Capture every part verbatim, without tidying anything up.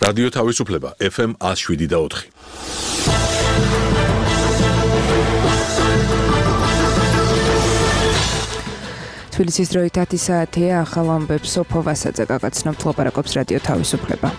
რადიო თავისუფლება ეფ ემ one oh seven და four. თბილისის დროით ათი საათია, ახალ ამბებს სოფო ვასაძე გაგაცნობთ, ლაპარაკობს რადიო თავისუფლება.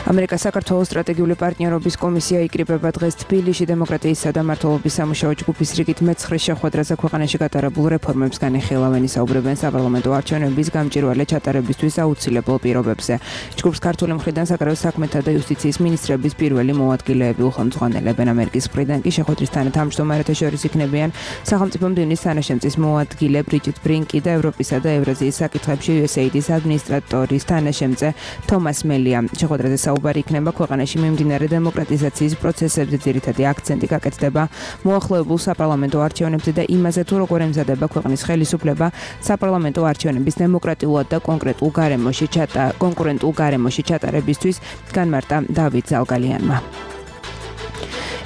ამერიკა საქართველოს სტრატეგიული პარტნიორობის კომისია იკრიბება დღეს თბილისში დემოკრატიისა და მართლობის სამუშაო ჯგუფის რიგით მეცხრე შეხვედრაზე ქვეყანაში გატარებულ რეფორმებს განიხილავენ, ისაუბრებენ საპარლამენტო არჩევნების გამჭვირვალე ჩატარებისთვის აუცილებელ პირობებზე. ჯგუფს ქართული მხრიდან საგარეო საქმეთა და იუსტიციის მინისტრების პირველი მოადგილეები უხელმძღვანელებენ. ამერიკის მხრიდან კი შეხვედრის თანათავმჯდომარეთა შორის იქნებიან სახელმწიფო მდივნის თანაშემწის მოადგილე ბრიჯიტ ბრინკი და ევროპისა და ევრაზიის საკითხებში იუ ეს ეი დის ადმინისტრატორის თანაშემწე თომას მელია. შეხვედრაზე საუბარი იქნება ქვეყანაში მიმდინარე დემოკრატიზაციის პროცესებზე, ძირითადი აქცენტი გაკეთდება მოახლოებულ საპარლამენტო არჩევნებზე და იმაზე, თუ როგორ ემზადება ქვეყნის ხელისუფლება საპარლამენტო არჩევნების დემოკრატიულად და კონკრეტულ გარემოში ჩატა კონკურენტულ გარემოში ჩატარებისთვის, განმარტა დავით ზალგალიანმა.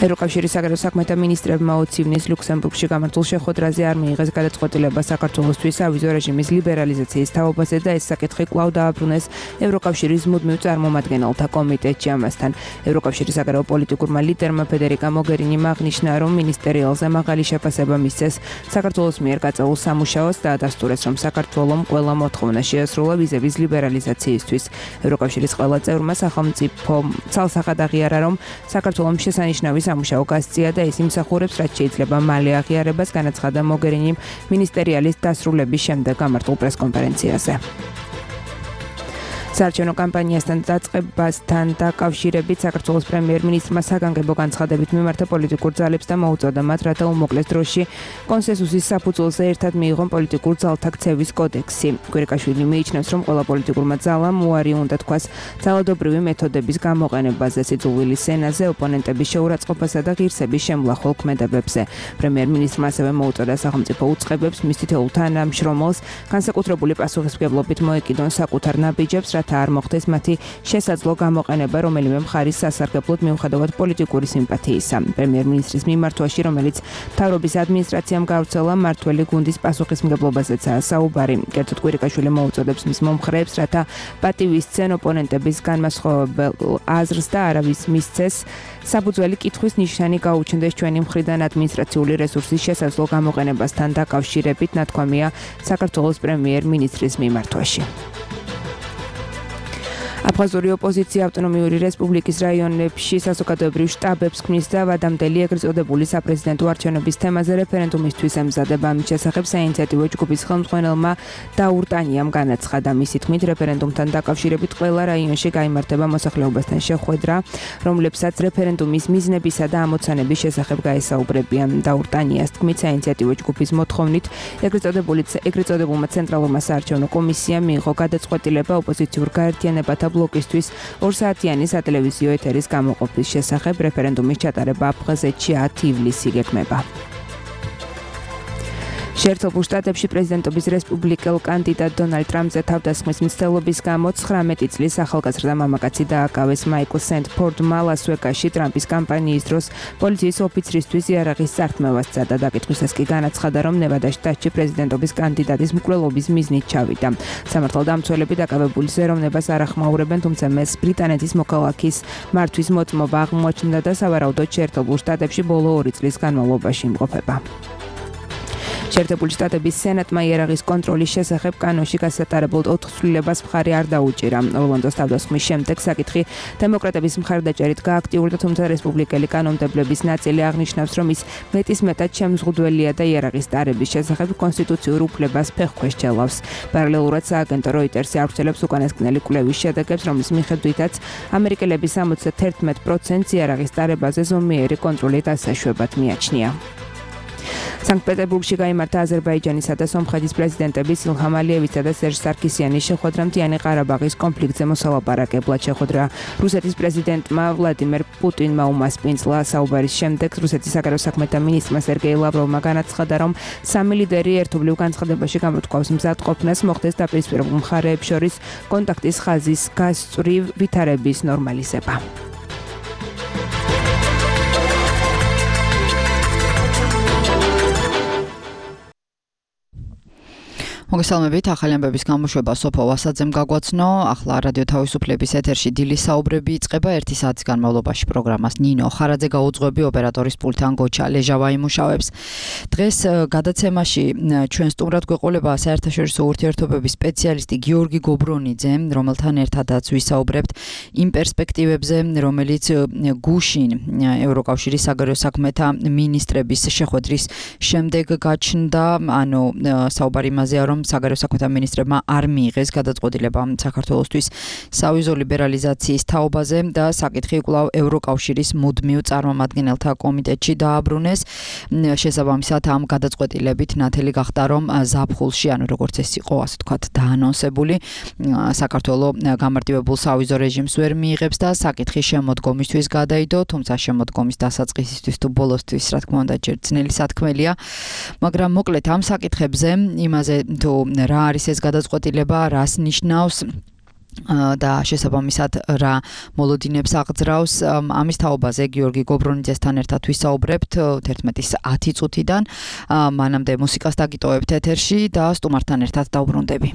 ევროკავშირის საგარეო საქმეთა მინისტრებმა ოცი ივნის ლუქსემბურგში გამართულ შეხვედრაზე არ მიიღეს გადაწყვეტილება საქართველოსთვის ავიზო რეჟიმის ლიბერალიზაციის თაობაზე და ეს საკითხი კვლავ დააბრუნეს ევროკავშირის მუდმივ წარმომადგენელთა კომიტეტში. ამასთან ევროკავშირის საგარეო პოლიტიკურმა ლიდერმა ფედერიკა მოგერინიმ აღნიშნა, რომ მინისტერიალზე მაღალი შეფასება მისცეს საქართველოს მიერ გაწეულ სამუშაოს და ადასტურეს, რომ საქართველომ ყველა მოთხოვნა შეასრულა ვიზების ლიბერალიზაციისთვის. ევროკავშირის ყველა წევრმა სახელმწიფო ცალსახად აღიარა, რომ საქართველომ შესანიშნავი სამუშაო გასწია და ის იმსახურებს, რაც შეიძლება მალე აღიარებას, განაცხადა მოგერინიმ მინისტერიალის დასრულების შემდეგ გამართულ პრესკონფერენციაზე. საარჩევნო კამპანიასთან დაწყებასთან დაკავშირებით საქართველოს პრემიერ-მინისტრმა საგანგებო განცხადებით მიმართა პოლიტიკურ ძალებს და მოუწოდა მათ, რათა უმოკლეს დროში კონსენსუსის საფუძველზე ერთად მიიღონ პოლიტიკურ ძალთა ქცევის კოდექსი. კვირიკაშვილი მიიჩნევს, რომ ყველა პოლიტიკურმა ძალამ უარი უნდა თქვას ძალადობრივი მეთოდების გამოყენებაზე, სიძულვილის სენაზე, ოპონენტების შეურაცხყოფასა და ღირსების შემლახვალ ქმედებებზე. პრემიერ-მინისტრმა ასევე მოუწოდა სახელმწიფო უწყებებს მის თითოეულ თანამშრომელს განსაკუთრებული პასუხისმგებლობით მოეკიდონ საკუთარ ნაბიჯებს, რათა არ მოხდეს მათი შესაძლო გამოყენება რომელიმე მხარის სასარგებლოდ მიუხედავად პოლიტიკური სიმპათიისა. პრემიერ-მინისტრის მიმართვაში, რომელიც მთავრობის ადმინისტრაციამ გავრცელა, მმართველი გუნდის პასუხისმგებლობაზეცაა საუბარი. კერძოდ კვირიკაშვილი მოუწოდებს მის მომხრეებს, რათა პატივისცენ ოპონენტების განმასხვავებელ აზრს და არავის მისცეს საფუძველი კითხვის ნიშანი გაუჩნდეს ჩვენი მხრიდან ადმინისტრაციული რესურსის შესაძლო გამოყენებასთან დაკავშირებით, ნათქვამია საქართველოს პრემიერ-მინისტრის მიმართვაში. აფხაზური ოპოზიცია ავტონომიური რესპუბლიკის რაიონებში საზოგადოებრივ შტაბებს ქმნის და ვადამდელი ეგრეთ წოდებული საპრეზიდენტო არჩევნების თემაზე რეფერენდუმისთვის ემზადება. ამის შესახებ საინიციატივო ჯგუფის ხელმძღვანელმა დაურტანიამ განაცხადა. მისი თქმით, რეფერენდუმთან დაკავშირებით ყველა რაიონში გაიმართება მოსახლეობასთან შეხვედრა, რომლებსაც რეფერენდუმის მიზნებისა და ამოცანების შესახებ გაესაუბრებიან. დაურტანიას თქმით, საინიციატივო ჯგუფის მოთხოვნით ეგრეთ წოდებული ეგრეთ წოდებულმა ცენტრალურმა საარჩევნო კომისიამ მიიღო გადაწყვეტილება ოპოზიციურ გაერთიანებათა ბლოკისთვის ორსაათიანი სატელევიზიო ეთერის გამოყოფის შესახებ. რეფერენდუმის ჩატარება აფხაზეთში ათი ივლისი გეგმება. შეერთებულ შტატებში პრეზიდენტობის რესპუბლიკელ კანდიდატ დონალდ ტრამპზე თავდასხმის მცდელობის გამო ცხრამეტი წლის ახალგაზრდა მამაკაცი დააკავეს. მაიკლ სენტფორდმა ლას-ვეგასში ტრამპის კამპანიის დროს პოლიციის ოფიცრისთვის იარაღის წართმევას სცადა. დაკითხვისას კი განაცხადა, რომ ნევადა შტატში პრეზიდენტობის კანდიდატის მკვლელობის მიზნით ჩავიდა. სამართალდამცველები დაკავებულის ეროვნებას არ ახმაურებენ, თუმცა მას ბრიტანეთის მოქალაქის მართვის მოწმობა აღმოაჩნდა და სავარაუდოდ შეერთებულ შტატებში ბოლო ორი წლის განმავლობაში იმყოფება. შეერთებული შტატების სენატმა იარაღის კონტროლის შესახებ კანონში გასატარებულ ოთხ ცვლილებას მხარი არ დაუჭირა. ორლანდოს თავდასხმის შემდეგ საკითხი დემოკრატების მხარდაჭერით გააქტიურდა, თუმცა რესპუბლიკელი კანონმდებლების ნაწილი აღნიშნავს, რომ ის მეტისმეტად შემზღუდველია და იარაღის ტარების შესახებ კონსტიტუციურ უფლებას ფეხქვეშ ჩელავს. პარალელურად სააგენტო როიტერსი ავრცელებს უკანასკნელი კვლევის შედეგებს, რომლის მიხედვითაც ამერიკელები სამოცდაათი პროცენტს იარაღის ტარებაზე ზომიერი კონტროლით ასაშვებად მიაჩნია. სანქტ-პეტერბურგში გაიმართა აზერბაიჯანისა და სომხეთის პრეზიდენტების ილჰამ ალიევისა და სერჟ სარქისიანის შეხვედრა მთიანი ყარაბაღის კონფლიქტზე მოსალაპარაკებლად. შეხვედრა რუსეთის პრეზიდენტმა ვლადიმერ პუტინმა უმასპინძლა. საუბარის შემდეგ რუსეთის საგარეო საქმეთა მინისტრმა სერგეი ლავროვმა განაცხადა, რომ სამი ლიდერი ერთობლივ განცხადებაში გამოთქვავს მზადყოფნას, მოხდეს დაპირისპირებულ მხარეებს შორის კონტაქტის ხაზის გასწვრივ ვითარების ნორმალიზება. მოგესალმებით, ახალი ამბების გამოშვება სოფო ვასაძემ გაგვაცნო. ახლა რადიო თავისუფლების ეთერში დილის საუბრები იწყება. ერთი საათის განმავლობაში პროგრამას ნინო ხარაძე გაუძღვები, ოპერატორის პულტთან გოჩა ლეჟავა იმუშავებს. დღეს გადაცემაში ჩვენ სტუმრად გვეყოლება საერთაშორისო ურთიერთობების სპეციალისტი გიორგი გობრონიძე, რომელთან ერთადაც ვისაუბრებთ იმ პერსპექტივებზე, რომელიც გუშინ ევროკავშირის საგარეო საქმეთა მინისტრების შეხვედრის შემდეგ გაჩნდა, ანუ საუბარი იმაზეა, რომ საგარეო საქმეთა მინისტრებმა არ მიიღეს გადაწყვეტილება საქართველოსთვის სავიზო ლიბერალიზაციის თაობაზე და საკითხი კვლავ ევროკავშირის მუდმივ წარმომადგენელთა კომიტეტში დააბრუნეს. შესაბამისად ამ გადაწყვეტილებით ნათელი გახდა, რომ ზაფხულში, ანუ როგორც ეს იყო, ასე ვთქვათ, დაანონსებული, საქართველოს გამარტივებულ სავიზო რეჟიმს ვერ მიიღებს და საკითხი შემოდგომისთვის გადაიდო, თუმცა შემოდგომის დასაწყისისთვის თუ ბოლოსთვის, რა თქმა უნდა, ჯერ ძნელი სათქმელია, მაგრამ მოკლედ ამ საკითხებზე იმაზე თუ რა არის ეს გადაწყვეტილება, რას ნიშნავს და შესაბამისად რა მოლოდინებს აღძრავს, ამის თაობაზე გიორგი გობრონიძესთან ერთად ვისაუბრებთ თერთმეტის ათი წუთიდან. მანამდე მუსიკას დაგიტოვებთ ეთერში და სტუმართან ერთად დავბრუნდები.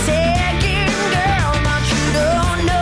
Taking girl, but you don't know.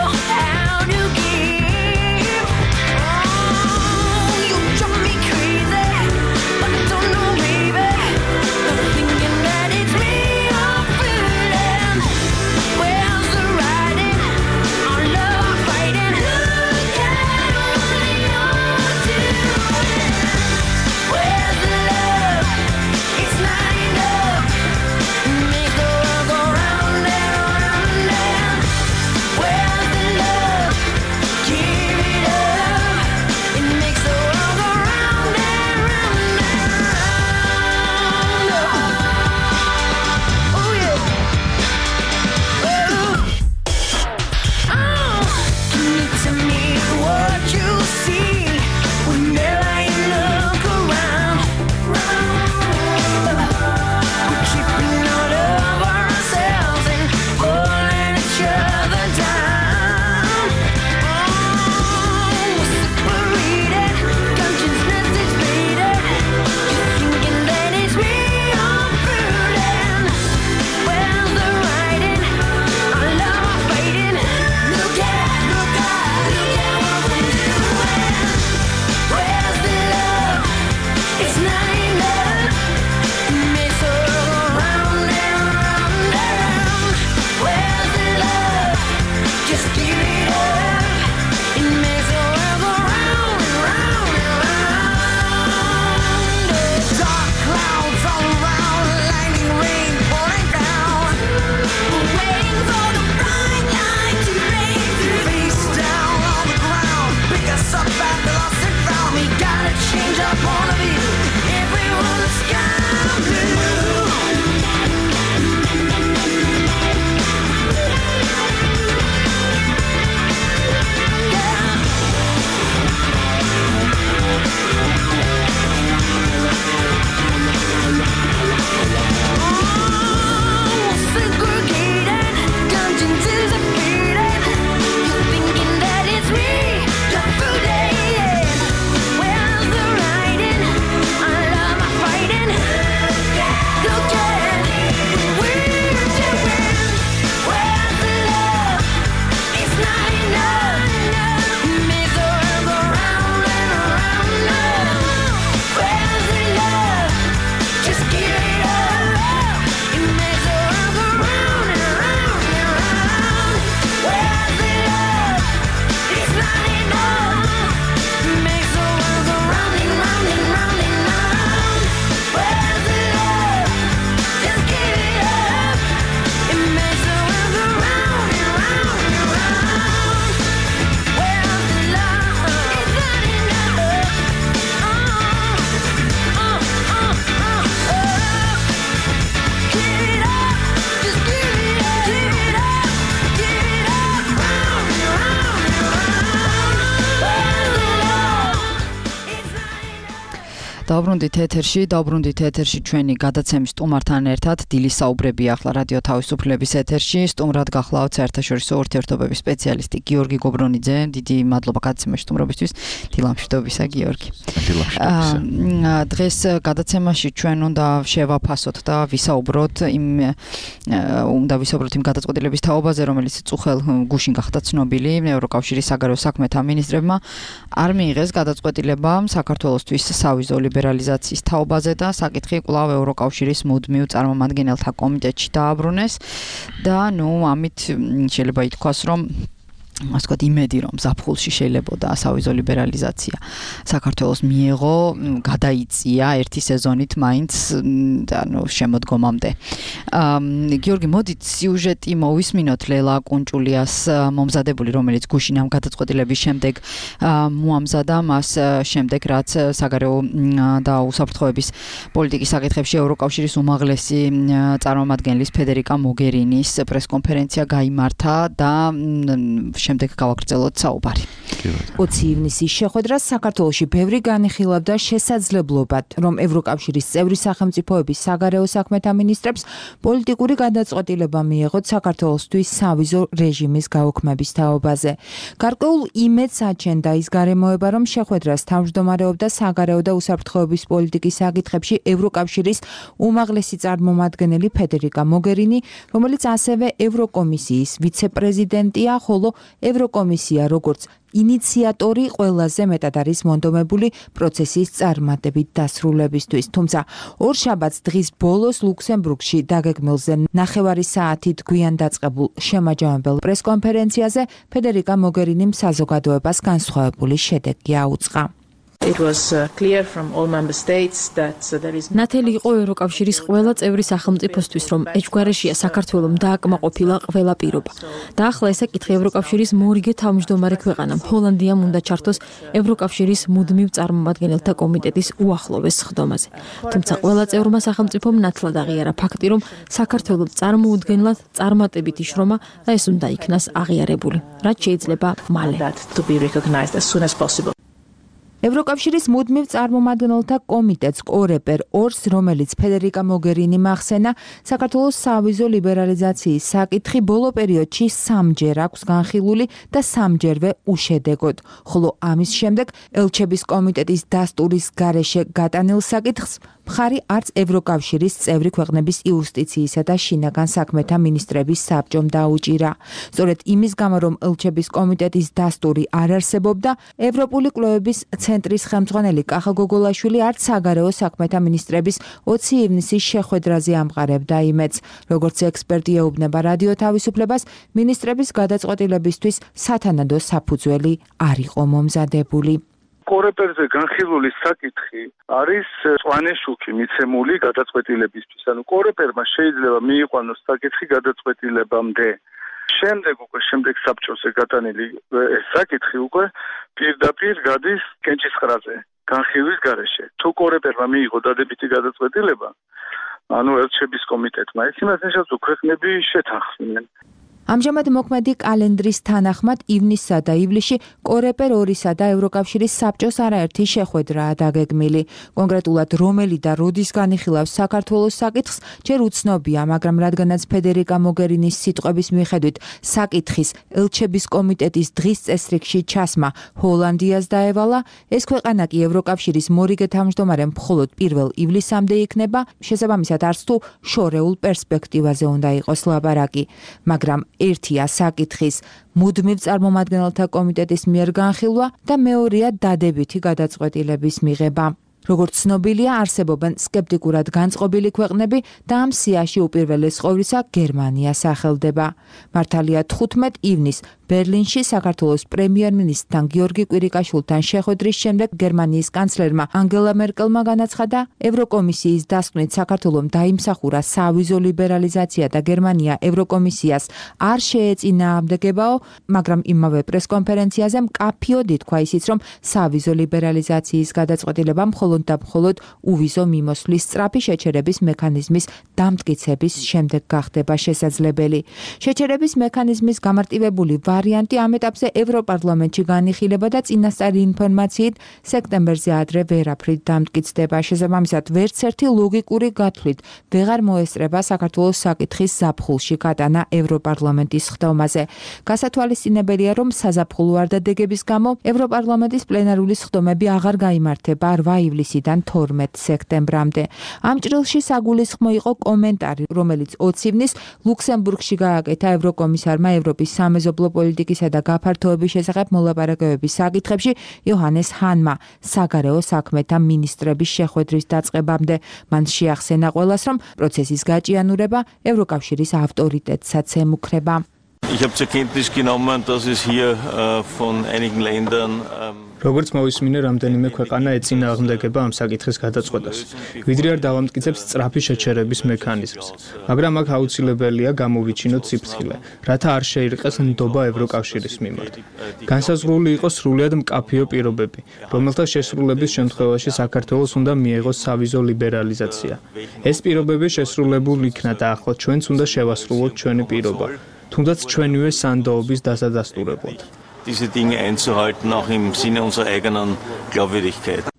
დავბრუნდით ეთერში, დავბრუნდით ეთერში ჩვენი გადაცემის სტუმართან ერთად დილის საუბრები ახლა რადიო თავისუფლების ეთერში. სტუმრად გახლავთ საერთაშორისო ურთიერთობების სპეციალისტი გიორგი გობრონიძე. დიდი მადლობა გადაცემაში სტუმრობისთვის. დილამშვიდობისა გიორგი. დილამშვიდობისა. დღეს გადაცემაში ჩვენ უნდა შევაფასოთ და ვისაუბროთ იმ უნდა ვისაუბროთ იმ გადაწყვეტილების თაობაზე, რომელიც წუხელ გუშინ გახდა ცნობილი ევროკავშირის საგარეო საქმეთა მინისტრებმა არ მიიღეს გადაწყვეტილება საქართველოსთვის სავიზო ლიბერალიზაციის თაობაზე და საკითხი კვლავ ევროკავშირის მუდმივ წარმომადგენელთა კომიტეტში დააბრუნეს და ნუ ამით შეიძლება ითქვას, რომ ასე ვთქვათ, იმედი რომ ზაფხულში შეიძლებოდა სავიზო ლიბერალიზაცია საქართველოს მიეღო, გადაიწია ერთი სეზონით მაინც ანუ შემოდგომამდე. გიორგი, მოდით სიუჟეტი მოვისმინოთ ლელა კუნჭულიას მომზადებული, რომელიც გუშინ ამ გადაწყვეტილების შემდეგ მოამზადა, მას შემდეგ რაც საგარეო და უსაფრთხოების პოლიტიკის საკითხებში ევროკავშირის უმაღლესი წარმომადგენლის ფედერიკა მოგერინის პრესკონფერენცია გაიმართა და შემდეგ გავაგრძელოთ საუბარი. ოცი ივნისის შეხვედრას საქართველოში ბევრი განიხილავდა შესაძლებლობად, რომ ევროკავშირის წევრი სახელმწიფოების საგარეო საქმეთა მინისტრებს პოლიტიკური გადაწყვეტილება მიეღოთ საქართველოსთვის სავიზო რეჟიმის გაუქმების თაობაზე. გარკვეულ იმედს აჩენდა ის გარემოება, რომ შეხვედრას თავმჯდომარეობდა საგარეო და უსაფრთხოების პოლიტიკის საკითხებში ევროკავშირის უმაღლესი წარმომადგენელი ფედერიკა მოგერინი, რომელიც ასევე ევროკომისიის ვიცე-პრეზიდენტია, ხოლო ევროკომისია როგორც ინიციატორი ყველაზე მეტად არის მონდომებული პროცესის წარმატებით დასრულებისთვის. თუმცა ორშაბათს დღის ბოლოს ლუქსემბურგში დაგეგმილზე ნახევარი საათით გვიან დაწყებულ შემაჯამებელ პრესკონფერენციაზე ფედერიკა მოგერინიმ საზოგადოებას განსხვავებული შედეგი აუწყა. It was uh, clear from all member states that uh, there is ნათელი იყო ევროკავშირის ყველა წევრი სახელმწიფოსთვის, რომ ეჭვგარეშია საქართველოს დააკმაყოფილა ყველა პირობა. და ახლა ეს საკითხი ევროკავშირის მორიგე თავმჯდომარე ქვეყანამ ჰოლანდიამ უნდა ჩართოს ევროკავშირის მუდმივ წარმომადგენელთა კომიტეტის უახლოვეს სხდომაზე. თუმცა ყველა წევრმა სახელმწიფომ ნათლად აღიარა ფაქტი, რომ საქართველოს წარმოუდგენლად წარმატებით იშრომა და ეს უნდა იქნას აღიარებული, რაც შეიძლება მალე. that to be recognized as soon as possible. ევროკავშირის მუდმივ წარმომადგენელთა კომიტეტს კორეპერ ორს, რომელიც ფედერიკა მოგერინი ახსენა, საქართველოს სავიზო ლიბერალიზაციის საკითხი ბოლო პერიოდში სამჯერ აქვს განხილული და სამჯერვე უშედეგოდ, ხოლო ამის შემდეგ ელჩების კომიტეტის დასტურის გარეშე გატანილ საკითხს მხარი არც ევროკავშირის წევრი ქვეყნების იუსტიციისა და შინაგან საქმეთა მინისტრების საბჭომ დაუჭირა. სწორედ იმის გამო, რომ ელჩების კომიტეტის დასტური არ არსებობდა, ევროპული კვლევების ცენტრის ხელმძღვანელი კახა გოგოლაშვილი არც საგარეო საქმეთა მინისტრების ოცი ივნისის შეხვედრაზე ამყარებდა იმედს. როგორც ექსპერტი ეუბნება რადიო თავისუფლებას, მინისტრების გადაწყვეტილებისთვის სათანადო საფუძველი არ იყო მომზადებული. კორეპერზე განხილული საკითხი არის წვანე შუქი მიცემული გადაწყვეტილებისთვის. ანუ კორეპერმა შეიძლება მიიყვანოს საკითხი გადაწყვეტილებამდე. შემდეგ უკვე შემდეგ საბჭოზე გატანილი ეს საკითხი უკვე პირდაპირ გადის კენჭისყრაზე განხილვის გარეშე. თუ კორეპერმა მიიღო დადებითი გადაწყვეტილება, ანუ ელჩების კომიტეტმა, ეს იმას ნიშნავს, რომ ქვეყნები შეთანხმდნენ. ამჟამად მოქმედი კალენდრის თანახმად ივნისსა და ივლისში კორეპერ ორისა და ევროკავშირის საბჭოს არაერთი შეხვედრაა დაგეგმილი. კონკრეტულად რომელი და როდის განიხილავს საქართველოს საკითხს, ჯერ უცნობია, მაგრამ რადგანაც ფედერიკა მოგერინის სიტყვების მიხედვით საკითხის ელჩების კომიტეტის დღის წესრიგში ჩასმა ჰოლანდიას დაევალა, ეს ქვეყანა კი ევროკავშირის მორიგე თავმჯდომარემ მხოლოდ პირველ ივლისამდე იქნება, შესაბამისად არც თუ შორეულ პერსპექტივაზე უნდა იყოს ლაპარაკი, მაგრამ ერთია საკითხის მუდმივ წარმომადგენელთა კომიტეტის მიერ განხილვა და მეორეა დადებითი გადაწყვეტილების მიღება. როგორც ცნობილია, არსებობენ სკეპტიკურად განწყობილი ქვეყნები და ამ სიაში უპირველეს ყოვლისა გერმანია სახელდება. მართალია თხუთმეტ ივნისს ბერლინში საქართველოს პრემიერ-მინისტრთან გიორგი კვირიკაშვილთან შეხვედრის შემდეგ გერმანიის კანცლერმა ანგელა მერკელმა განაცხადა, ევროკომისიის დასკვნით საქართველომ დაიმსახურა სავიზო ლიბერალიზაცია და გერმანია ევროკომისიას არ შეეწინააღმდეგებაო, მაგრამ იმავე პრესკონფერენციაზე მკაფიოდ ითქვა ისიც, რომ სავიზო ლიბერალიზაციის გადაწყვეტილება მხოლოდ მხოლოდ და მხოლოდ უვიზო მიმოსვლის სწრაფი შეჩერების მექანიზმის დამტკიცების შემდეგ გახდება შესაძლებელი. შეჩერების მექანიზმის გამარტივებული ვარიანტი ამ ეტაპზე ევროპარლამენტში განიხილება და წინასწარი ინფორმაციით სექტემბერზე ადრე ვერაფრით დამტკიცდება. შესაბამისად, ვერც ერთი ლოგიკური გათვლით ვეღარ მოესწრება საქართველოს საკითხის ზაფხულში გატანა ევროპარლამენტის ხდომაზე. გასათვალისწინებელია, რომ საზაფხულო არდადეგების გამო ევროპარლამენტის პლენარული ხდომები აღარ გაიმართება რვა ივლისიდან თორმეტ სექტემბრამდე. ამ ჭრილში საგულისხმო იყო კომენტარი, რომელიც ოცი ივნის ლუქსემბურგში გააკეთა ევროკომისარმა ევროპის სამეზობლო პოლიტიკისა და გაფართოების შესახებ მოლაპარაკებების საკითხებში იოჰანეს ჰანმა საგარეო საქმეთა მინისტრების შეხვედრის დაწყებამდე. მან შეახსენა ყველას, რომ პროცესის გაჭიანურება ევროკავშირის ავტორიტეტსაც ემუქრება. Ich habe zur Kenntnis genommen, dass es hier äh, von einigen Ländern ähm როგორც მოვისმინე, რამდენიმე ქვეყანა ეწინააღმდეგება ამ საკითხის გადაწყვეტას. ვიდრე არ დავამტკიცებს სწრაფი შეჩერების მექანიზმს, მაგრამ აქ აუცილებელია გამოვიჩინოთ სიფრთხილე, რათა არ შეირყეს ნდობა ევროკავშირის მიმართ. განსაზღვრული იყოს სრულიად მკაფიო პირობები, რომელთა შესრულების შემთხვევაში საქართველოს უნდა მიეღოს სავიზო ლიბერალიზაცია. ეს პირობები შესრულებულ იქნა და ახლა ჩვენც უნდა შევასრულოთ ჩვენი პირობა, თუნდაც ჩვენივე სანდოობის დასადასტურებლად. diese Dinge einzuhalten, auch im Sinne unserer eigenen Glaubwürdigkeit.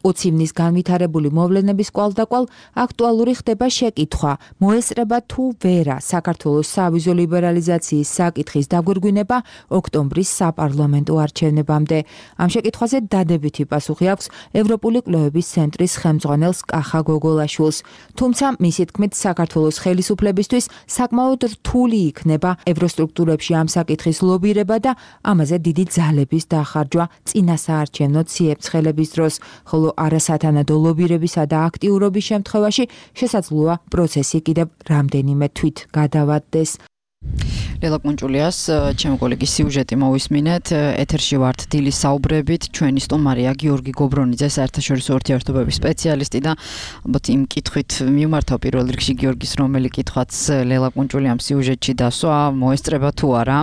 ოცი ივნის განვითარებული მოვლენების კვალდაკვალ აქტუალური ხდება შეკითხვა, მოესწრება თუ ვერა საქართველოს სავიზო ლიბერალიზაციის საკითხის დაგვირგვინება ოქტომბრის საპარლამენტო არჩევნებამდე. ამ შეკითხვაზე დადებითი პასუხი აქვს ევროპული კვლევების ცენტრის ხელმძღვანელს კახა გოგოლაშვილს. თუმცა მისი თქმით, საქართველოს ხელისუფლებისთვის საკმაოდ რთული იქნება ევროსტრუქტურებში ამ საკითხის ლობირება და ამაზე დიდი ძალების დახარჯვა წინასაარჩევნო ციებ-ცხელების დროს, ხოლო არასათანადო ლობირებისა და აქტიურობის შემთხვევაში შესაძლოა პროცესი კიდევ რამდენიმე თვით გადავადდეს. ლელა კუნჭულიას, ჩემი კოლეგის სიუჟეტი მოვისმინეთ, ეთერში ვართ დილის საუბრებით, ჩვენი სტუმარია გიორგი გობრონიძე, საერთაშორისო ურთიერთობების სპეციალისტი და ალბათ იმ კითხვით მიმართავ პირველ რიგში გიორგის, რომელი კითხვაც ლელა კუნჭულიამ სიუჟეტში დასვა, მოესწრება თუ არა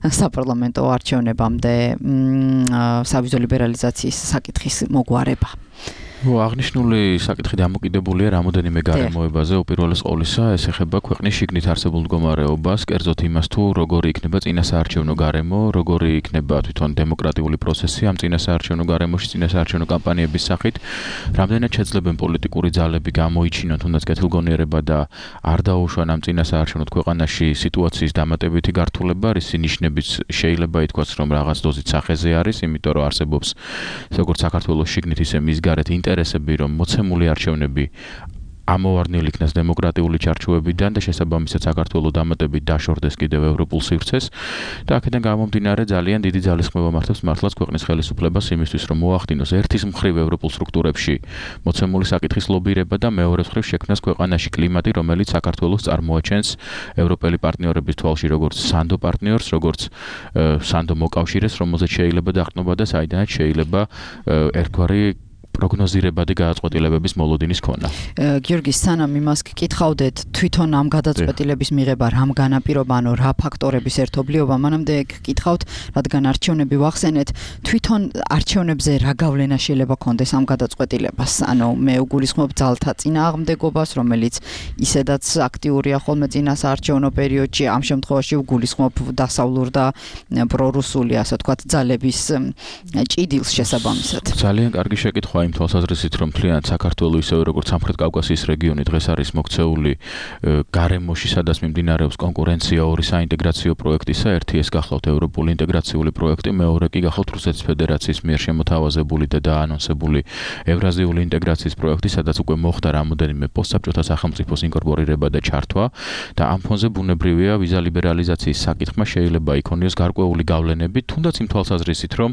საპარლამენტო არჩევნებამდე სავიზო ლიბერალიზაციის საკითხის მოგვარება. აღნიშნული საკითხი დამოკიდებულია რამოდენიმე გარემოებაზე. უპირველეს ყოვლისა, ეს ეხება ქვეყნის შიგნით არსებულ მდგომარეობას, კერძოდ იმას, თუ როგორი იქნება წინასაარჩევნო გარემო, როგორი იქნება თვითონ დემოკრატიული პროცესი ამ წინასაარჩევნო გარემოში, წინასაარჩევნო კამპანიების სახით, რამდენად შეძლებენ პოლიტიკური ძალები გამოიჩინონ თუნდაც კეთილგონიერება და არ დაუშვან ამ წინასაარჩევნო ქვეყანაში სიტუაციის დამატებითი გართულება, რისი ნიშნებიც შეიძლება ითქვას, რომ რაღაც დოზით სახეზე არის, იმიტომ რომ არსებობს როგორც საქართველოს შიგნით, ისე მის გარეთ ინტერესები, რომ მოცემული არჩევნები ამოვარდნილი იქნას დემოკრატიული ჩარჩოებიდან და შესაბამისად საქართველოს დამატებით დაშორდეს კიდევ ევროპულ სივრცეს და აქედან გამომდინარე ძალიან დიდი ძალისხმევა მართავს მართლაც ქვეყნის ხელისუფლებას იმისთვის, რომ მოახდინოს ერთის მხრივ ევროპულ სტრუქტურებში მოცემული საკითხის ლობირება და მეორე მხრივ შექმნას ქვეყანაში კლიმატი, რომელიც საქართველოს წარმოაჩენს ევროპელი პარტნიორების თვალში როგორც სანდო პარტნიორს, როგორც სანდო მოკავშირეს, რომელზეც შეიძლება დაყრდნობა და საიდანაც შეიძლება ერთგვარი პროგნოზირებადი გადაწყვეტილებების მოლოდინის ქონა. გიორგი, სანამ იმას გკითხავდეთ, თვითონ ამ გადაწყვეტილების მიღება რამ განაპირობა, ანუ რა ფაქტორების ერთობლიობა, მანამდე გკითხავთ, რადგან არჩევნები ვახსენეთ, თვითონ არჩევნებზე რა გავლენა შეიძლება ქონდეს ამ გადაწყვეტილებას? ანუ მე უგულისხმობ ძალთა წინააღმდეგობას, რომელიც ისედაც აქტიურია ხოლმე წინასაარჩევნო პერიოდში, ამ შემთხვევაში უგულისხმობ დასავლურ და პრორუსული, ასე ვთქვათ, ძალების ჭიდილს შესაბამისად. ძალიან კარგი შეკითხვა იმ თვალსაზრისით, რომ მთლიანად საქართველოს ისევე როგორც სამხრეთ კავკასიის რეგიონი დღეს არის მოქცეული გარემოში, სადაც მიმდინარეობს კონკურენცია ორი საინტეგრაციო პროექტისა, ერთი ეს გახლავთ ევროპული ინტეგრაციული პროექტი, მეორე კი გახლავთ რუსეთის ფედერაციის მიერ შემოთავაზებული და დაანონსებული ევრაზიული ინტეგრაციის პროექტი, სადაც უკვე მოხდა რამოდენიმე პოსტსაბჭოთა სახელმწიფოს ინკორპორირება და ჩართვა და ამ ფონზე ბუნებრივია ვიზა ლიბერალიზაციის საკითხმა შეიძლება იქონიოს გარკვეული გავლენები, თუნდაც იმ თვალსაზრისით, რომ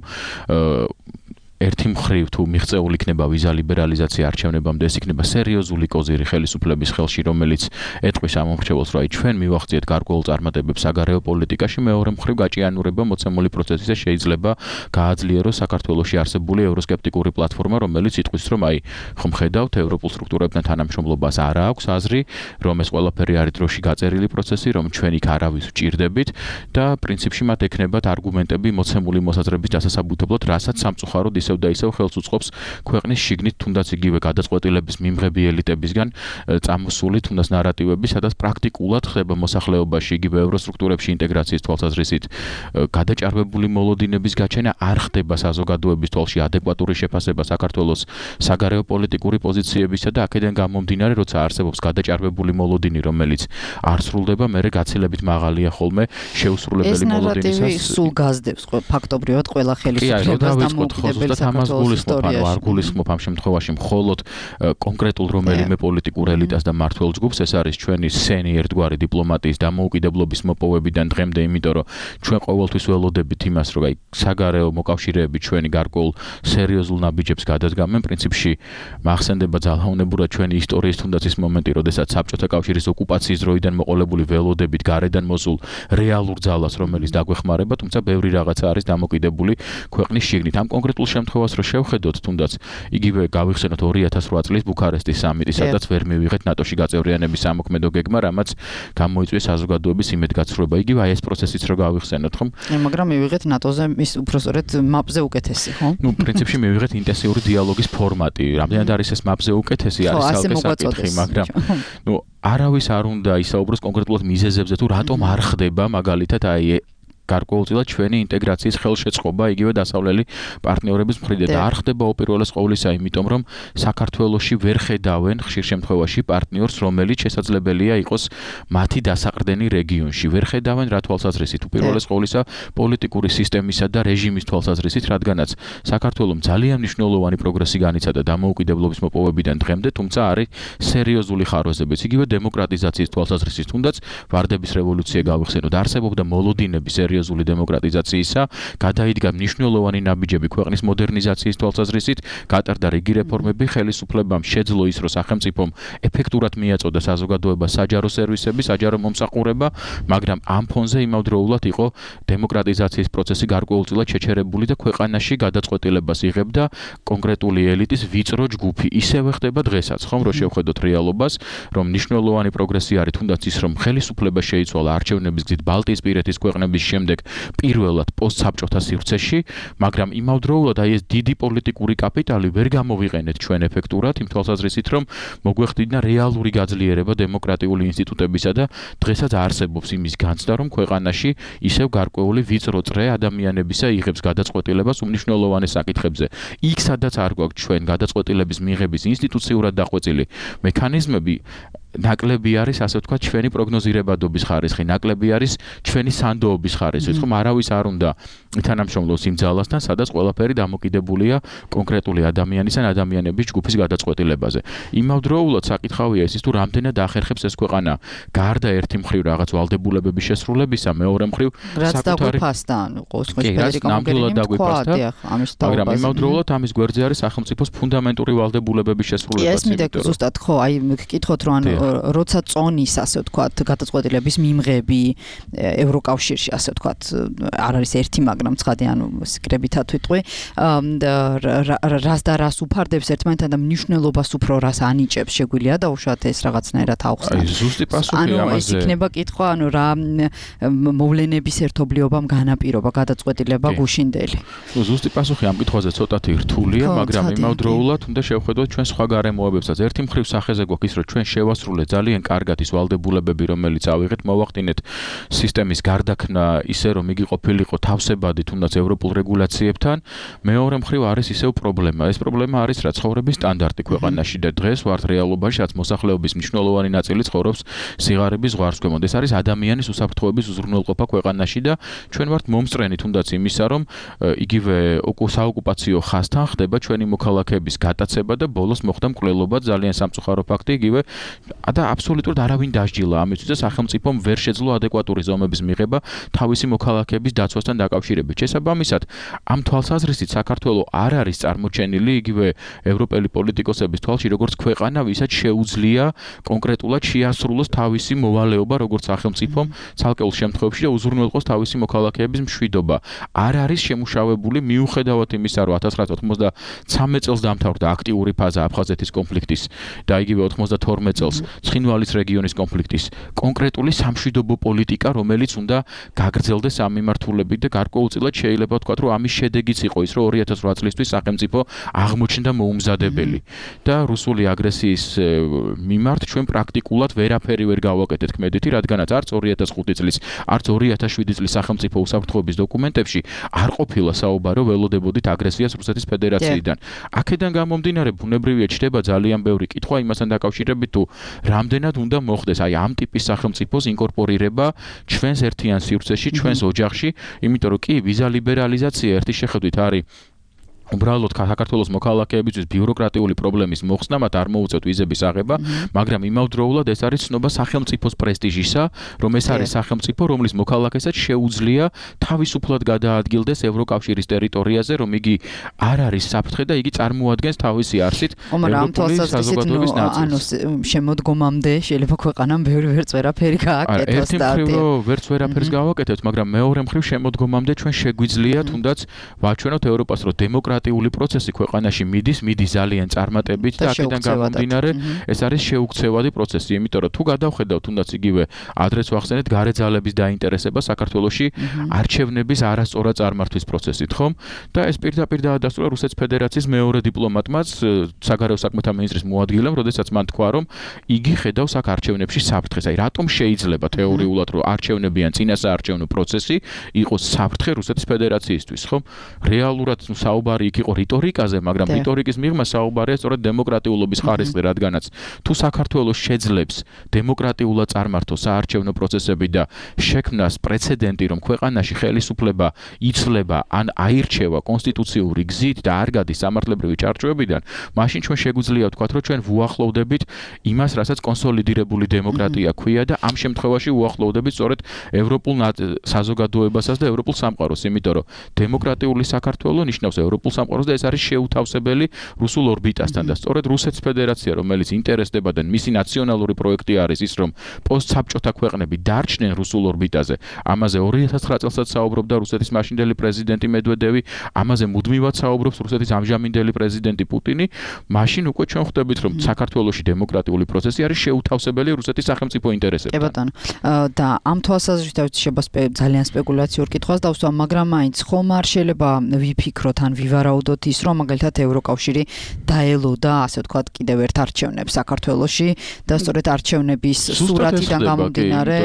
ერთი მხრივ თუ მიღწეული იქნება ვიზა ლიბერალიზაცია არჩევნებამდე, ეს იქნება სერიოზული კოზირი ხელისუფლების ხელში, რომელიც ეტყვის ამ მომხრჩეველს, რომ აი ჩვენ მივახციეთ გარკვეულ წარმატებებს საგარეო პოლიტიკაში, მეორე მხრივ გაჭიანურება მოცემული პროცესისა შეიძლება გააძლიეროს საქართველოში არსებული ევროსკეპტიკური პლატფორმა, რომელიც იტყვის, რომ აი ხომ ხედავთ ევროპულ სტრუქტურებთან თანამშრომლობას არ აქვს აზრი, რომ ეს ყველაფერი არის დროში გაწერილი პროცესი, რომ ჩვენ იქ არავის ვჭირდებით და პრინციპში მათ ექნებათ არგუმენტები მოცემული მოსაზრების დასასაბუთებლად, რასაც სამწუხაროდ ისევ ისევ და ისევ ხელს უწყობს ქვეყნის შიგნით თუნდაც იგივე გადაწყვეტილების მიმღები ელიტებისგან წამოსული თუნდაც ნარატივები, სადაც პრაქტიკულად ხდება მოსახლეობაში იგივე ევროსტრუქტურებში ინტეგრაციის თვალსაზრისით გადაჭარბებული მოლოდინების გაჩენა, არ ხდება საზოგადოების თვალში ადეკვატური შეფასება საქართველოს საგარეო პოლიტიკური პოზიციებისა და აქედან გამომდინარე, როცა არსებობს გადაჭარბებული მოლოდინი, რომელიც არ სრულდება, მერე გაცილებით მაღალია ხოლმე შეუსრულებელი მოლოდინისას. ეს ნარატივი სულ გაზდებს ფაქტობრივად ყველა ხელისუფლებას და მოუკიდებელ საქართველოს ისტორიაში. არ გულისხმობ ამ შემთხვევაში მხოლოდ კონკრეტულ რომელიმე პოლიტიკურ ელიტას და მმართველ ჯგუფს, ეს არის ჩვენი სენი ერთგვარი დიპლომატიის დამოუკიდებლობის მოპოვებიდან დღემდე, იმიტომ რომ ჩვენ ყოველთვის ველოდებით იმას, რომ აი საგარეო მოკავშირეები ჩვენი გარკვეულ სერიოზულ ნაბიჯებს გადადგამენ. პრინციპში მახსენდება ძალაუნებურად ჩვენი ისტორიის თუნდაც ის მომენტი, როდესაც საბჭოთა კავშირის ოკუპაციის დროიდან მოყოლებული ველოდებით გარედან მოსულ რეალურ ძალას, რომელიც დაგვეხმარება, თუმცა ბევრი რაღაცა არის დამოკიდებული ქვეყნის შიგნით. ამ კონკრეტულ შემთხვევას რო შევხედოთ, თუნდაც იგივე გავიხსენოთ ორი ათას რვა წლის ბუქარესტის სამიტი, სადაც ვერ მივიღეთ ნატოში გაწევრიანების ამოქმედო გეგმა, რამაც გამოიწვია საზოგადოების იმედგაცრუება. იგივე აი ეს პროცესიც რო გავიხსენოთ, ხომ? მაგრამ მივიღეთ ნატოზე ის უფრო სწორედ მაპზე უკეთესი, ხო? ნუ პრინციპში მივიღეთ ინტენსიური დიალოგის ფორმატი. რამდენად არის ეს მაპზე უკეთესი, არის ცალკე საკითხი, მაგრამ ნუ არავის არ უნდა ისაუბროს კონკრეტულად მიზეზებზე, თუ რატომ არ ხდება მაგალითად აი გარკვეულწილად ჩვენი ინტეგრაციის ხელშეწყობა იგივე დასავლელი პარტნიორების მხრიდან და არ ხდება უპირველეს ყოვლისა, იმიტომ რომ საქართველოში ვერ ხედავენ ხშირ შემთხვევაში პარტნიორს, რომელიც შესაძლებელია იყოს მათი დასაყრდენი რეგიონში. ვერ ხედავენ რა თვალსაზრისით, უპირველეს ყოვლისა პოლიტიკური სისტემისა და რეჟიმის თვალსაზრისით, რადგანაც საქართველოს ძალიან მნიშვნელოვანი პროგრესი განიცადა დამოუკიდებლობის მოპოვებიდან დღემდე, თუმცა არის სერიოზული ხარვეზებიც. იგივე დემოკრატიზაციის თვალსაზრისით, თუნდაც ვარდების რევოლუცია გავიხსენოთ, არსებობდა მოლოდინები სერიოზული დემოკრატიზაციისა, გადაიდგა მნიშვნელოვანი ნაბიჯები ქვეყნის მოდერნიზაციის თვალსაზრისით, გატარდა რიგი რეფორმები, ხელისუფლებამ შეძლო ის, რომ სახელმწიფომ ეფექტურად მიაწოდა საზოგადოებას საჯარო სერვისები, საჯარო მომსახურება, მაგრამ ამ ფონზე იმავდროულად იყო დემოკრატიზაციის პროცესი გარკვეულწილად შეჩერებული და ქვეყანაში გადაწყვეტილებას იღებდა კონკრეტული ელიტის ვიწრო ჯგუფი. ისევე ხდება დღესაც, ხომ, რომ შევხედოთ რეალობას, რომ მნიშვნელოვანი პროგრესი არის თუნდაც ის, რომ ხელისუფლება შეიცვალა არჩევნების გზით ბალტიისპირეთის ქვეყნების შემდეგ პირველად პოსტსაბჭოთა სივრცეში, მაგრამ იმავდროულად აი ეს დიდი პოლიტიკური კაპიტალი ვერ გამოვიყენეთ ჩვენ ეფექტურად იმ თვალსაზრისით, რომ მოგვეხდინა რეალური გაძლიერება დემოკრატიული ინსტიტუტებისა და დღესაც არსებობს იმის განცდა, რომ ქვეყანაში ისევ გარკვეული ვიწრო წრე ადამიანებისა იღებს გადაწყვეტილებას უმნიშვნელოვანეს საკითხებზე. იქ სადაც არ გვაქვს ჩვენ გადაწყვეტილების მიღების ინსტიტუციურად დახვეწილი მექანიზმები, ნაკლები არის, ასე ვთქვათ, ჩვენი პროგნოზირებადობის ხარისხი, ნაკლები არის ჩვენი სანდოობის ხარისხი, ხომ არავის არ უნდა ითანამშრომლოს იმ ძალასთან, სადაც ყველაფერი დამოკიდებულია კონკრეტული ადამიანის ან ადამიანების ჯგუფის გადაწყვეტილებაზე. იმავდროულად საკითხავია ის, თუ რამდენად ახერხებს ეს ქვეყანა გარდა ერთი მხრივ რაღაც ვალდებულებების შესრულებისა, მეორე მხრივ საკუთარი ფასთან, ანუ ყოველთვის ნამდვილად დაგვიფასდა, მაგრამ იმავდროულად ამის გვერდზე არის სახელმწიფოს ფუნდამენტური ვალდებულებების შესრულებაც. ეს მიდე ზუსტად ხო, აი გკითხოთ, რომ ანუ როცა წონის, ასე ვთქვათ, გადაწყვეტილების მიმღები ევროკავშირში, ასე ვთქვათ, არ არის ერთი, მაგრამ ცხადი, ანუ სკრებითად ვიტყვი, რას და რას უფარდებს ერთმანეთთან და მნიშვნელობას უფრო რას ანიჭებს, შეგვიძლია დაუშვათ ეს რაღაცნაირად აუხსნათ. აი, ზუსტი პასუხი ამაზე. ანუ ეს იქნება კითხვა, ანუ რა მოვლენების ერთობლიობამ განაპირობა გადაწყვეტილება გუშინდელი. ნუ ზუსტი პასუხი ამ კითხვაზე ცოტათი რთულია, მაგრამ იმავდროულად უნდა შევხედოთ ჩვენ სხვა გარემოებებსაც. ერთი მხრივ სახეზე გვაქვს ის, რომ ჩვენ შევასრულეთ ძალიან კარგად ის ვალდებულებები, რომელიც ავიღეთ, მოვახდინეთ სისტემის გარდაქმნა ისე, რომ იგი ყოფილიყო თავსებადი თუნდაც ევროპულ რეგულაციებთან. მეორე მხრივ არის ისევ პრობლემა. ეს პრობლემა არის რა ცხოვრების სტანდარტი ქვეყანაში და დღეს ვართ რეალობაში, რაც მოსახლეობის მნიშვნელოვანი ნაწილი ცხოვრობს სიღარიბის ზღვარს ქვემოთ. ეს არის ადამიანის უსაფრთხოების უზრუნველყოფა ქვეყანაში და ჩვენ ვართ მომსწრენი თუნდაც იმისა, რომ იგივე საოკუპაციო ხაზთან ხდება ჩვენი მოქალაქეების გატაცება და ბოლოს მოხდა მკვლელობა, ძალიან სამწუხარო ფაქტი, იგივე და აბსოლუტურად არავინ დასჯილა ამისთვის და სახელმწიფომ ვერ შეძლო ადეკვატური ზომების მიღება თავისი მოქალაქეების დაცვასთან დაკავშირებით. შესაბამისად, ამ თვალსაზრისით საქართველოს არ არის წარმოჩენილი იგივე ევროპელი პოლიტიკოსების თვალში, როგორც ქვეყანა, ვისაც შეუძლია კონკრეტულად შეასრულოს თავისი მოვალეობა, როგორც სახელმწიფომ ცალკეულ შემთხვევებში და უზრუნველყოს თავისი მოქალაქეების მშვიდობა. არ არის შემუშავებული მიუხედავად იმისა, რომ ათას ცხრაასი ოცდამეცხრე წელს დამთავრდა აქტიური ფაზა აფხაზეთის კონფლიქტის და იგივე ოცდათორმეტ წელს ცხინვალის რეგიონის კონფლიქტის კონკრეტული სამშვიდობო პოლიტიკა, რომელიც უნდა გაგრძელდეს ამ მიმართულებით და გარკვეულწილად შეიძლება ვთქვათ, რომ ამის შედეგიც იყო ის, რომ ორი ათას ოთხ წლისთვის სახელმწიფო აღმოჩნდა მოუმზადებელი და რუსული აგრესიის მიმართ ჩვენ პრაქტიკულად ვერაფერი ვერ გავაკეთეთ ქმედითი, რადგანაც არც ორი ათას ხუთი წლის, არც ორი ათას შვიდი წლის სახელმწიფო უსაფრთხოების დოკუმენტებში არ ყოფილა საუბარი ველოდებოდით აგრესიას რუსეთის ფედერაციიდან. აქედან გამომდინარე, ბუნებრივია ჩდება ძალიან ბევრი კითხვა იმასთან დაკავშირებით, თუ რამდენად უნდა მოხდეს აი ამ ტიპის სახელმწიფოს ინკორპორირება ჩვენს ერთიან სივრცეში, ჩვენს ოჯახში, იმიტომ რომ კი ვიზა ლიბერალიზაცია ერთი შეხედვით არის უბრალოდ საქართველოს მოქალაქეებისთვის ბიუროკრატიული პრობლემის მოხსნა, მათ არ მოუწევთ ვიზების აღება, მაგრამ იმავდროულად ეს არის ცნობა სახელმწიფოს პრესტიჟისა, რომ ეს არის სახელმწიფო, რომლის მოქალაქესაც შეუძლია თავისუფლად გადაადგილდეს ევროკავშირის ტერიტორიაზე, რომ იგი არ არის საფრთხე და იგი წარმოადგენს თავისი არსით ევროპული საზოგადოების ნაწილს. ანუ შემოდგომამდე შეიძლება ქვეყანამ ბევრი ვერც ვერაფერი გააკეთოს და ერთი მხრივ ვერც ვერაფერს გავაკეთებთ, მაგრამ მეორე მხრივ შემოდგომამდე ჩვენ შეგვიძლია თუნდაც ვაჩვენოთ ევროპას, რომ დემოკრატია პროცესი ქვეყანაში მიდის, მიდის ძალიან წარმატებით და აქედან გამომდინარე ეს არის შეუქცევადი პროცესი, იმიტომ რომ თუ გადავხედავთ თუნდაც იგივე ადრეც ვახსენეთ გარე ძალების დაინტერესება საქართველოში არჩევნების არასწორად წარმართვის პროცესით, ხომ? და ეს პირდაპირ დაადასტურა რუსეთის ფედერაციის მეორე დიპლომატმაც, საგარეო საქმეთა მინისტრის მოადგილემ, როდესაც მან თქვა, რომ იგი ხედავს აქ არჩევნებში საფრთხეს. აი რატომ შეიძლება თეორიულად, რომ არჩევნები ან წინასაარჩევნო პროცესი იყოს საფრთხე რუსეთის ფედერაციისთვის, ხომ? რეალურად საუბარი იქ იყო რიტორიკაზე, მაგრამ რიტორიკის მიღმა საუბარია სწორედ დემოკრატიულობის ხარისხზე, რადგანაც თუ საქართველოს შეძლებს დემოკრატიულად წარმართოს საარჩევნო პროცესები და შექმნას პრეცედენტი, რომ ქვეყანაში ხელისუფლება იცვლება ან აირჩევა კონსტიტუციური გზით და არ გადის სამართლებრივი ჩარჩოებიდან, მაშინ ჩვენ შეგვიძლია ვთქვათ, რომ ჩვენ ვუახლოვდებით იმას, რასაც კონსოლიდირებული დემოკრატია ქვია და ამ შემთხვევაში ვუახლოვდებით სწორედ ევროპულ საზოგადოებასაც და ევროპულ სამყაროს, იმიტომ რომ დემოკრატიული საქართველო ნიშნავს ევროპულ სამყაროს და ეს არის შეუთავსებელი რუსულ ორბიტასთან და სწორედ რუსეთის ფედერაცია, რომელიც ინტერესდება და მისი ნაციონალური პროექტი არის ის, რომ პოსტსაბჭოთა ქვეყნები დარჩნენ რუსულ ორბიტაზე. ამაზე ორი ათას ცხრა წელსაც საუბრობდა რუსეთის მაშინდელი პრეზიდენტი მედვედევი, ამაზე მუდმივად საუბრობს რუსეთის ამჟამინდელი პრეზიდენტი პუტინი. მაშინ უკვე ჩვენ ხვდებით, რომ საქართველოში დემოკრატიული პროცესი არის შეუთავსებელი რუსეთის სახელმწიფო ინტერესებთან. კი ბატონო. და ამ თვალსაზრისით შეიძლება ძალიან სპეკულაციურ კითხვას დავსვა, მაგრამ მაინც ხომ არ შეიძლება ვიფიქროთ ან ვივარაუდოთ ის, რომ მაგალითად ევროკავშირი დაელოდა, ასე ვთქვათ, კიდევ ერთ არჩევნებს საქართველოში და სწორედ არჩევნების სურათიდან გამომდინარე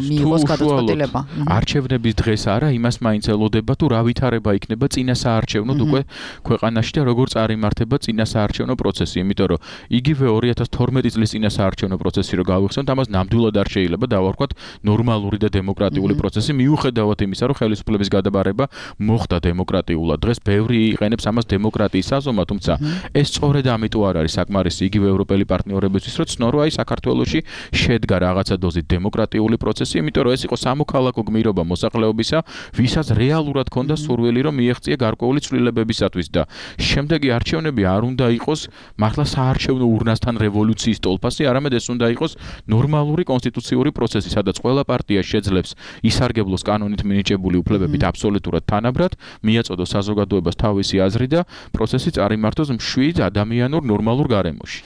მიიღოს გადაწყვეტილება. არჩევნების დღეს არა, იმას მაინც ელოდება, თუ რა ვითარება იქნება წინასაარჩევნოდ უკვე ქვეყანაში და როგორ წარიმართება წინასაარჩევნო პროცესი, იმიტომ რომ იგივე ორი ათას თორმეტი წლის წინასაარჩევნო პროცესი რო გავიხსენოთ, ამას ნამდვილად არ შეიძლება დავარქვათ ნორმალური და დემოკრატიული პროცესი, მიუხედავად იმისა, რომ ხელისუფლების გადაბარება მოხდა დემოკრატიულად. დღეს ბევრი იყენებს ამას დემოკრატიის საზომად, თუმცა ეს სწორედ ამიტომ არ არის საკმარისი იგივე ევროპელი პარტნიორებისთვის, რომ ცნო რომ აი საქართველოში შედგა რაღაცა დოზით დემოკრატიული პროცესი, იმიტომ რომ ეს იყო სამოქალაქო გმირობა მოსახლეობისა, ვისაც რეალურად ჰქონდა სურვილი, რომ მიეღწია გარკვეული ცვლილებებისათვის და შემდეგი არჩევნები არ უნდა იყოს მართლა საარჩევნო ურნასთან რევოლუციის ტოლფასი, არამედ ეს უნდა იყოს ნორმალური კონსტიტუციური პროცესი, სადაც ყველა პარტია შეძლებს ისარგებლოს კანონით მინიჭებული უფლებებით აბსოლუტურად თანაბრად, მიაწოდოს საზოგადოებას თავისი აზრი და პროცესი წარიმართოს მშვიდ ადამიანურ ნორმალურ გარემოში.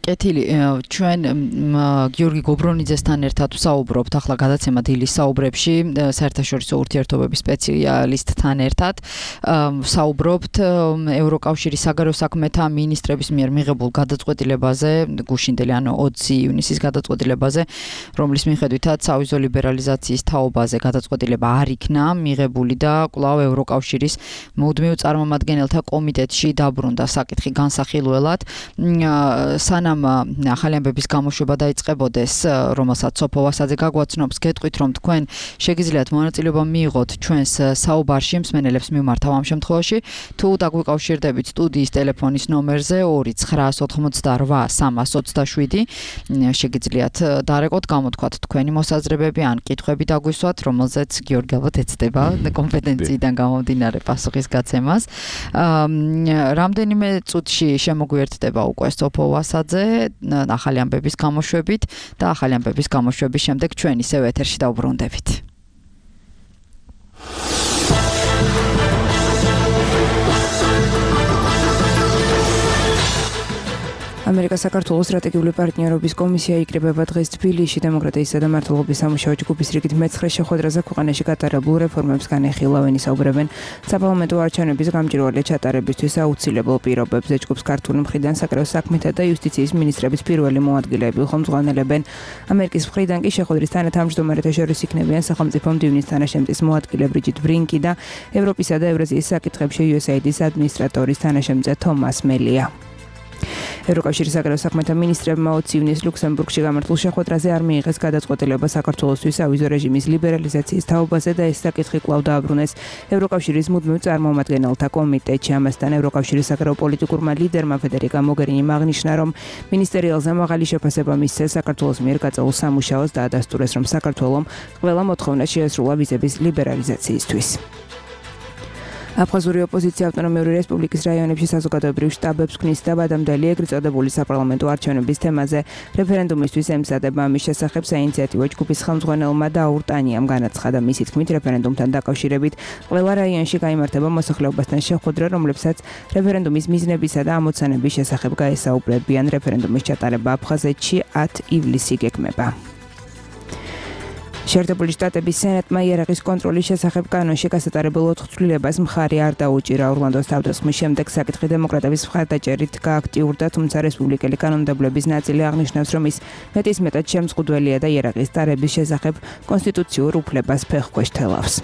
კეთილი, ჩვენ გიორგი გობრონიძესთან ერთად ვსაუბრობთ ახლა გადაცემა დილის საუბრებში საერთაშორისო ურთიერთობების სპეციალისტთან ერთად ვსაუბრობთ ევროკავშირის საგარეო საქმეთა მინისტრების მიერ მიღებულ გადაწყვეტილებაზე, გუშინდელი ანუ ოცი ივნისის გადაწყვეტილებაზე, რომლის მიხედვითაც სავიზო ლიბერალიზაციის თაობაზე გადაწყვეტილება არ იქნა მიღებული და კვლავ ევროკავშირის მუდმივ წარმომადგენელთა კომიტეტში დაბრუნდა საკითხი განსახილველად. სანამ ახალი ამბების გამოშვება დაიწყებოდეს, რომელსაც სოფო ვასაძე გაგვაცნობს, გეტყვით, რომ თქვენ შეგიძლიათ მონაწილეობა მიიღოთ ჩვენს საუბარში, მსმენელებს მიმართავ ამ შემთხვევაში, თუ დაგვიკავშირდებით სტუდიის ტელეფონის ნომერზე ორი ცხრაას ოთხმოცდაორვა სამას ოცდაშვიდი, შეგიძლიათ დარეკოთ, გამოთქვათ თქვენი მოსაზრებები ან კითხვები დაგვისვათ, რომელზეც გიორგი ალბათ ეცდება კომპეტენციიდან გამომდინარე პასუხის გაცემას. რამდენიმე წუთში შემოგვიერთდება უკვე სოფო ვასაძე ახალი ამბების გამოშვებით და ახალი ამბების გამოშვების შემდეგ ჩვენ ისევ ეთერში დავბრუნდებით. ამერიკა საქართველოს სტრატეგიული პარტნიორობის კომისია იკრიბება დღეს თბილისში დემოკრატიისა და მართლობის სამუშაო ჯგუფის რიგით მეცხრე შეხვედრაზე ქვეყანაში გატარებულ რეფორმებს განეხილავენ ისაუბრებენ საპარლამენტო არჩევნების გამჭვირვალე ჩატარებისთვის აუცილებელ პირობებზე ჯგუფს ქართული მხრიდან საკრეო საქმეთა და იუსტიციის მინისტრების პირველი მოადგილეები ხელმძღვანელებენ ამერიკის მხრიდან კი შეხვედრის თანათავმჯდომარეთა შორის იქნებიან სახელმწიფო მდივნის თანაშემწის მოადგილე ბრიჯიტ ბრინკი და ევროპისა და ევრაზიის საკითხებში იუ ეს ეი დის ადმინისტრატორის თანაშემწე თომას მელია. ევროკავშირის საკრეო საქმეთა მინისტრებმა ოცი ივნისს ლუქსემბურგში გამართულ შეხვედრაზე არ მიიღეს გადაწყვეტილება საქართველოსთვის ავიზო რეჟიმის ლიბერალიზაციის თაობაზე და ეს საკითხი კვლავ დააბრუნეს ევროკავშირის მუდმივ წარმომადგენელთა კომიტეტში. ამასთან ევროკავშირის საკრეო პოლიტიკურმა ლიდერმა ფედერიკა მოგერინიმ აღნიშნა, რომ მინისტერიალზე მაღალი შეფასება მისცეს საქართველოს მიერ გაწეულ სამუშაოს და ადასტურეს, რომ საქართველომ ყველა მოთხოვნა შეესრულა ვიზების ლიბერალიზაციისთვის. აფხაზური ოპოზიცია ავტონომიური რესპუბლიკის რაიონებში საზოგადოებრივ შტაბებს ქმნის და ბადამდელი ეგრეთ წოდებული საპარლამენტო არჩევნების თემაზე რეფერენდუმისთვის ემზადება. ამის შესახებ საინიციატივო ჯგუფის ხელმძღვანელმა დაურ ტანიამ განაცხადა. მისი თქმით, რეფერენდუმთან დაკავშირებით ყველა რაიონში გაიმართება მოსახლეობასთან შეხვედრა, რომლებსაც რეფერენდუმის მიზნებისა და ამოცანების შესახებ გაესაუბრებიან. რეფერენდუმის ჩატარება აფხაზეთში ათ ივლისი გეგმება. შეერთებული შტატების სენატმა იარაღის კონტროლის შესახებ კანონში გასატარებელ ოთხ ცვლილებას მხარი არ დაუჭირა. ორლანდოს თავდასხმის შემდეგ საკითხი დემოკრატების მხარდაჭერით გააქტიურდა, თუმცა რესპუბლიკელი კანონმდებლების ნაწილი აღნიშნავს, რომ ის მეტისმეტად შემზღუდველია და იარაღის ტარების შესახებ კონსტიტუციურ უფლებას ფეხქვეშ თელავს.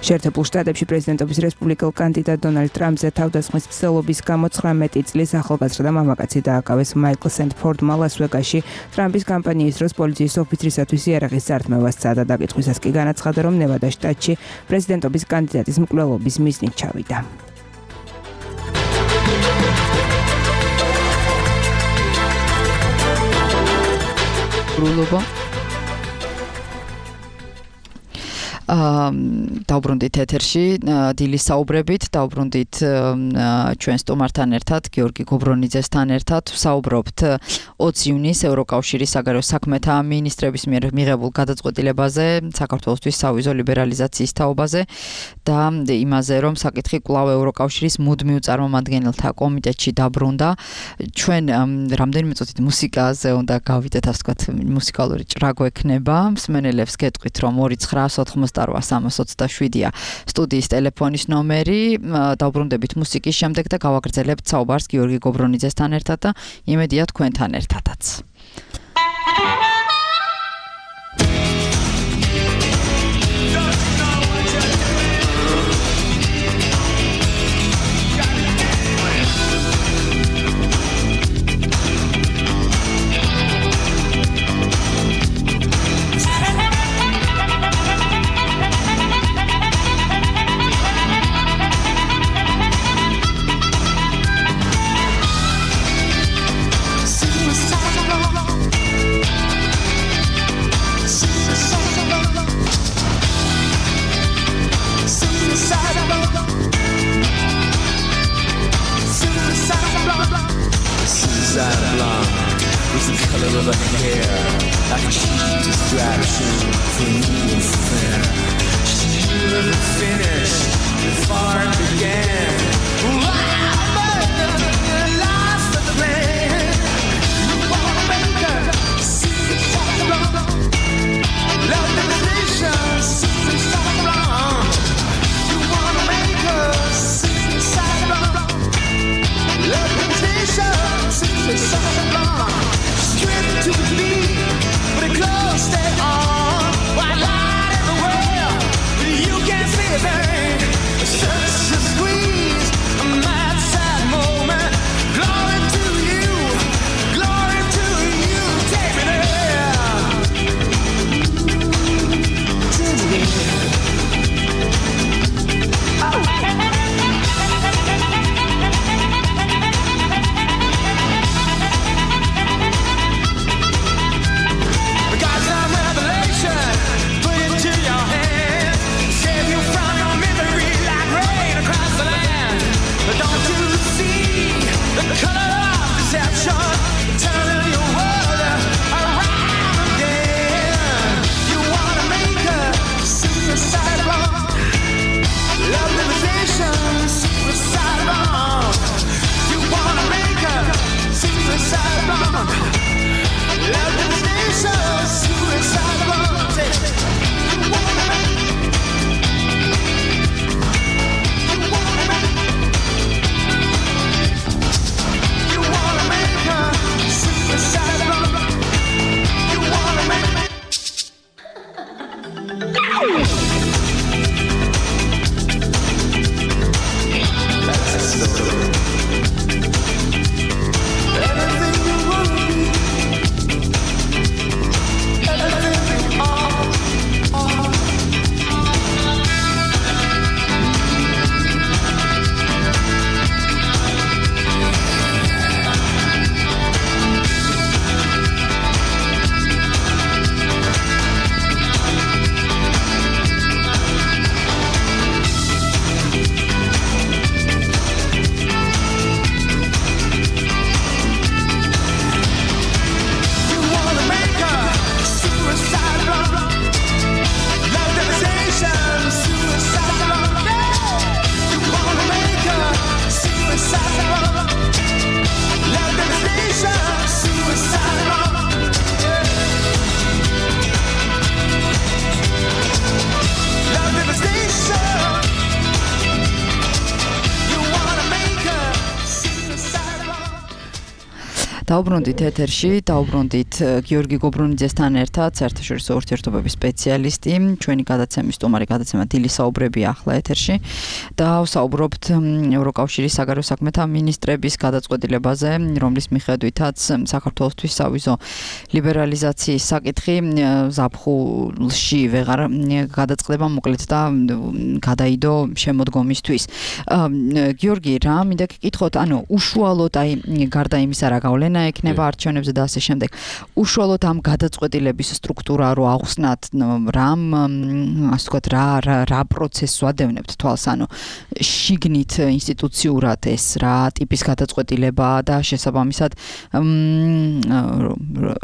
შეერთებულ შტატებში პრეზიდენტობის რესპუბლიკელ კანდიდატ დონალდ ტრამპზე თავდასხმის მცდელობის გამო ცხრამეტი წლის ახალგაზრდა მამაკაცი დააკავეს მაიკლ სენტფორდმა ლას-ვეგასში. ტრამპის კამპანიის დროს პოლიციის ოფიცრისათვის იარაღის წართმევა სცადა. დაკითხვისას კი განაცხადა, რომ ნევადას შტატში პრეზიდენტობის კანდიდატის მკვლელობის მიზნით ჩავიდა. ბრულობა დაუბრუნდით ეთერში დილის საუბრებით, დაუბრუნდით ჩვენ სტუმართან ერთად, გიორგი გობრონიძესთან ერთად, ვსაუბრობთ ოცი ივნისს ევროკავშირის საგარეო საქმეთა მინისტრების მიერ მიღებულ გადაწყვეტილებაზე, საქართველოსთვის სავიზო ლიბერალიზაციის თაობაზე და იმაზე, რომ საკითხი კვლავ ევროკავშირის მუდმივ წარმომადგენელთა კომიტეტში დაბრუნდა. ჩვენ რამდენიმე წუთით მუსიკაზე უნდა გავიდეთ, ასე ვთქვათ, მუსიკალური ჭრაგო ექნება. მსმენელებს გეტყვით, რომ ორი ცხრა ოთხმოცდაოთხი სამას ოცდაშვიდია სტუდიის ტელეფონის ნომერი. დავბრუნდებით მუსიკის შემდეგ და გავაგრძელებთ საუბარს გიორგი გობრონიძესთან ერთად და იმედია თქვენთან ერთადაც. დაუბრუნდით ეთერში, დაუბრუნდით გიორგი გობრუნიძესთან ერთად, საერთაშორისო ურთიერთობების სპეციალისტი, ჩვენი გადაცემის სტუმარი გადაცემა დილის საუბრები ახლა ეთერში და ვსაუბრობთ ევროკავშირის საგარეო საქმეთა მინისტრების გადაწყვეტილებაზე, რომლის მიხედვითაც საქართველოსთვის სავიზო ლიბერალიზაციის საკითხი ზაფხულში ვეღარ გადაწყდება მოკლედ და გადაიდო შემოდგომისთვის. გიორგი, რა მინდა გეკითხოთ, ანუ უშუალოდ აი გარდა იმისა რა გავლენა ექნება არჩევნებზე და ასე შემდეგ. უშუალოდ ამ გადაწყვეტილების სტრუქტურა რო ახსნათ, რამ ასე ვთქვათ, რა რა პროცესს ვადევნებთ თვალს, ანუ შიგნით ინსტიტუციურად ეს რა ტიპის გადაწყვეტილება და შესაბამისად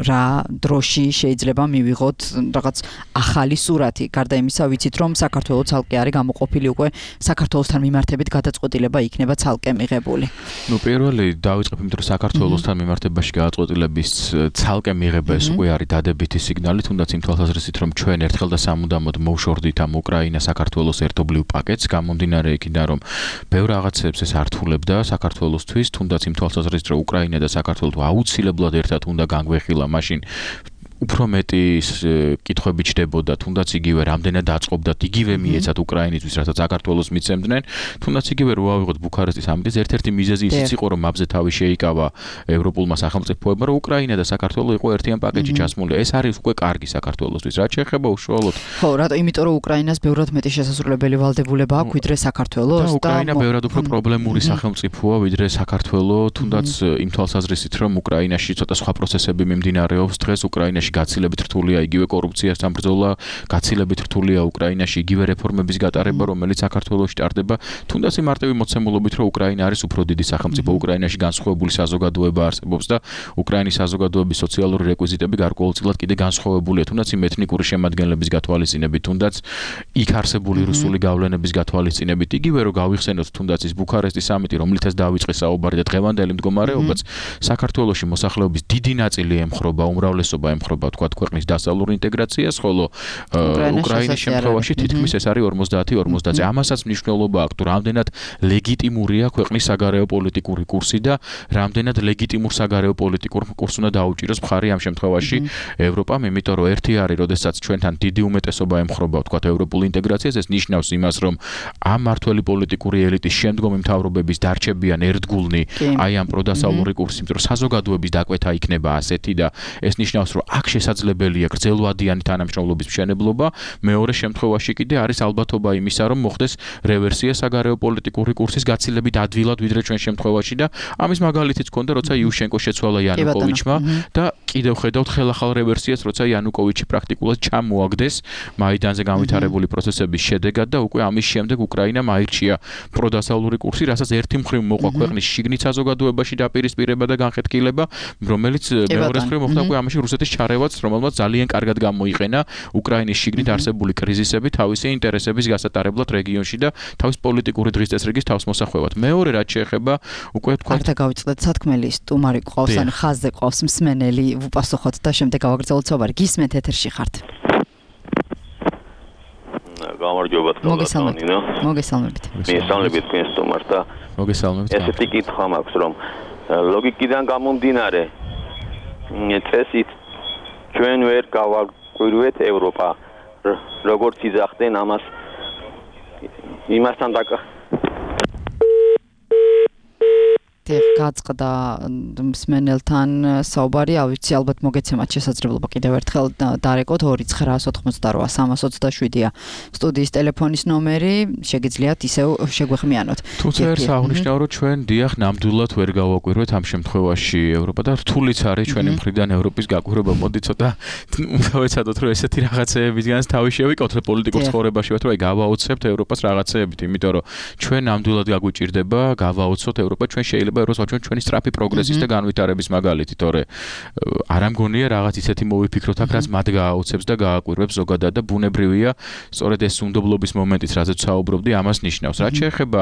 რა დროში შეიძლება მივიღოთ რაღაც ახალი სურათი. გარდა იმისა, ვიცით რომ საქართველოს ცალკე არის გამოყოფილი უკვე საქართველოსთან მიმართებით გადაწყვეტილება იქნება ცალკე მიღებული. ნუ პირველი დავიწყებ იმით რომ საქართველოსთან მიმართებაში გადაწყვეტილების ცალკე მიღება ეს უკვე არის დადებითი სიგნალი, თუნდაც იმ თვალსაზრისით რომ ჩვენ ერთხელ და სამუდამოდ მოვშორდით ამ უკრაინა საქართველოს ერთობლივ პაკეტს, გამომდინარე იქიდან რომ ბევრ რაღაცებს ეს ართულებდა საქართველოსთვის, თუნდაც იმ თვალსაზრისით რომ უკრაინა და საქართველო აუცილებლად ერთად უნდა განგვეხილა, მაშინ უფრო მეტი კითხვები ჩდებოდა, თუნდაც იგივე რამდენად აწყობდათ, იგივე მიეცათ უკრაინისთვის, რასაც საქართველოს მიცემდნენ, თუნდაც იგივე რო ავიღოთ ბუქარესტის ამიტის ერთ-ერთი მიზეზი ისიც იყო, რომ აბზე თავი შეიკავა ევროპულმა სახელმწიფოებმა, რომ უკრაინა და საქართველო იყო ერთიან პაკეტში ჩასმული. ეს არის უკვე კარგი საქართველოსთვის. რაც შეეხება უშუალოდ. ხო, რატო? იმიტომ რომ უკრაინას ბევრად მეტი შესაძლებელი ვალდებულება აქვს ვიდრე საქართველოს და უკრაინა ბევრად უფრო პრობლემური სახელმწიფოა ვიდრე საქართველო, თუნდაც იმ თვალსაზრისით, რომ უკრაინაში ცოტა სხვა პროცესები მიმდინარეობს დღეს უკრაინაში გაცილებით რთულია იგივე კორუფციასთან ბრძოლა, გაცილებით რთულია უკრაინაში იგივე რეფორმების გატარება, რომელიც საქართველოში ტარდება, თუნდაც იმ მარტივი მოცემულობით, რომ უკრაინა არის უფრო დიდი სახელმწიფო, უკრაინაში განსხვავებული საზოგადოება არსებობს და უკრაინის საზოგადოების სოციალური რეკვიზიტები გარკვეულწილად კიდე განსხვავებულია, თუნდაც იმ ეთნიკური შემადგენლების გათვალისწინებით, თუნდაც იქ არსებული რუსული გავლენების გათვალისწინებით, იგივე რომ გავიხსენოთ თუნდაც ის ბუქარესტის სამიტი, რომლითაც დაიწყეს საუბარი და დღევანდელი მდგომარეობაც საქართველოში მოსახლეობის დიდი ნაწილი ემხრობა, უმრავლესობა ემხრობა თქვათ ქვეყნის დასავლურ ინტეგრაციას, ხოლო უკრაინის შემთხვევაში თითქმის ეს არის ორმოცდაათი ორმოცდაათი. ამასაც მნიშვნელობა აქვს, თუ რამდენად ლეგიტიმურია ქვეყნის საგარეო პოლიტიკური კურსი და რამდენად ლეგიტიმურ საგარეო პოლიტიკურ კურსს უნდა დაუჭიროს მხარი ამ შემთხვევაში ევროპამ, იმიტომ რომ ერთი არის, როდესაც ჩვენთან დიდი უმეტესობა ემხრობა თქვათ ევროპულ ინტეგრაციას, ეს ნიშნავს იმას, რომ ამ მართველი პოლიტიკური ელიტის შემდგომი მთავრობების დარჩებიან ერთგულნი აი ამ პროდასავლური კურსი, იმიტომ რომ საზოგადოების დაკვეთა იქნება ასეთი და ეს ნიშნავს, რომ აქ შესაძლებელია გრძელვადიანი თანამშრომლობის მშენებლობა, მეორე შემთხვევაში კიდე არის ალბათობა იმისა, რომ მოხდეს რევერსია საგარეო პოლიტიკური კურსის გაცილებით ადვილად ვიდრე ჩვენ შემთხვევაში და ამის მაგალითიც ჰქონდა, როცა იუშენკო შეცვალა იანუკოვიჩმა და კიდევ ხედავთ ხელახალ რევერსიას, როცა იანუკოვიჩი პრაქტიკულად ჩამოაგდეს მაიდანზე განვითარებული პროცესების შედეგად და უკვე ამის შემდეგ უკრაინამ აირჩია პროდასავლური კურსი, რასაც ერთი მხრივ მოყვა ქვეყნის შიგნით საზოგადოებაში დაპირისპირება და განხეთქილება, რომელიც მეორე მხრივ მოხდა უკვე ამაში რუსეთის ჩარევაც, რომელმაც ძალიან კარგად გამოიყენა უკრაინის შიგნით არსებული კრიზისები თავისი ინტერესების გასატარებლად რეგიონში და თავის პოლიტიკური დღის წესრიგის თავსმოსახვევად. მეორე რაც შეეხება უკვე თქვა არ დავიწყდეთ სათქმელი, სტუმარი ყავს, ან ხაზზე ყავს მსმენელი, ვუპასუხოთ და შემდეგ გავაგრძელოთ საუბარი. გისმენთ ეთერში ხართ. გამარჯობა მოგესალმებით. მოგესალმებით. მოგესალმებით თქვენ სტუმარს და მოგესალმებით. ესეთი კითხვა მაქვს, რომ ლოგიკიდან გამომდინარე წესით ჩვენ ვერ გავაკვირვეთ ევროპა, როგორც იძახდნენ ამას იმასთან დაკ გაწყდა მსმენელთან საუბარი, ავიცი ალბათ მოგეცემათ შესაძლებლობა კიდევ ერთხელ დარეკოთ ორი ცხრა ოთხმოცდაოთხ სამას ოცდაშვიდია სტუდიის ტელეფონის ნომერი, შეგიძლიათ ისევ შეგვეხმიანოთ. თუმცა ერთ აღნიშნავ რომ ჩვენ დიახ ნამდვილად ვერ გავაკვირვეთ ამ შემთხვევაში ევროპა და რთულიც არის ჩვენი მხრიდან ევროპის გაკვირვება. მოდი ცოტა დავეცადოთ რომ ესეთი რაღაცეებისგანაც თავი შევიკავოთ პოლიტიკურ ცხოვრებაში, ვთქვათ რომ აი გავაოცებთ ევროპას რაღაცეებით, იმიტომ რომ ჩვენ ნამდვილად გაგვიჭირდება გავაოცოთ ევროპა, ჩვენ შეიძლება როცა ჩვენ ჩვენი სწრაფი პროგრესის და განვითარების მაგალითი, თორე არ ამგონია რაღაც ისეთი მოვიფიქროთ აქ, რაც მათ გააოცებს და გააკვირვებს ზოგადად და ბუნებრივია, სწორედ ეს უნდობლობის მომენტიც, რაზეც საუბრობდი, ამას ნიშნავს. რაც შეეხება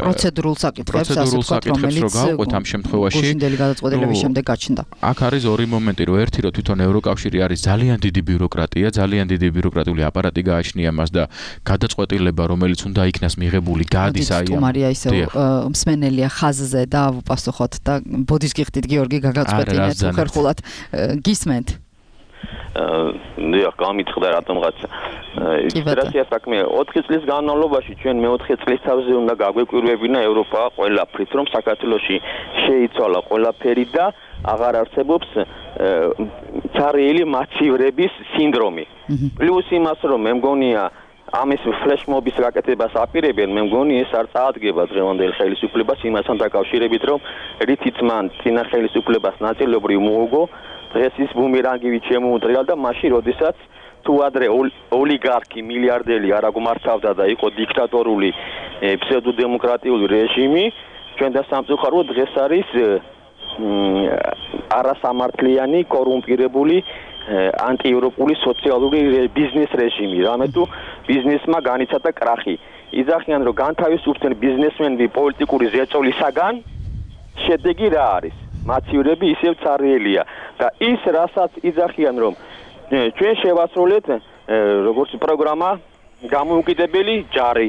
პროცედურულ საკითხებს, ასე ვთქვათ, რომელიც გავყოთ ამ შემთხვევაში გუშინდელი გადაწყვეტილების შემდეგ გაჩნდა. აქ არის ორი მომენტი, რომ ერთი რომ თვითონ ევროკავშირი არის ძალიან დიდი ბიუროკრატია, ძალიან დიდი ბიუროკრატიული აპარატი გააჩნია მას და გადაწყვეტილება, რომელიც უნდა იქნას მიღებული, გადის აი ამ თუმარია ისევ მსმენელია ხაზზე და ვუპასუხოთ და ბოდის გიხდით გიორგი გაგაწყვეტინეთ უხერხულად გისმენთ. დიახ, გამიწყდა რატომღაც ისტრატეგია საქმე ოთხი წლის განმავლობაში ჩვენ მეოთხე წლის თავზე უნდა გაგვეკვირვებინა ევროპა ყველაფრით, რომ საქართველოში შეიცვალა ყველაფერი და აღარ არსებობს ცარიელი მაცივრების სინდრომი. პლუს იმას, რომ მე მგონია ამის ფლეშმობის გაკეთებას აპირებენ, მე მგონი ეს არ წაადგება დღევანდელ ხელისუფლებას იმასთან დაკავშირებით, რომ რითიც მან წინა ხელისუფლებას ნაწილობრივ მოუგო, დღეს ის ბუმერანგივით შემოუდრია და მაშინ როდესაც თუ ადრე ოლიგარქი მილიარდელი არ აღმართავდა და იყო დიქტატორული ფსევდოდემოკრატიული რეჟიმი, ჩვენ და სამწუხაროდ დღეს არის არასამართლიანი, კორუმპირებული ანტიევროპული სოციალური ბიზნეს რეჟიმი, რამე თუ ბიზნესმა განიცადა კრახი. იძახიან რომ განთავისუფლდნენ ბიზნესმენები პოლიტიკური ზეწოლისაგან, შედეგი რა არის? მაცივრები ისევ ცარიელია და ის რასაც იძახიან რომ ჩვენ შევასრულეთ როგორც პროგრამა გამოუკიდებელი ჯარი,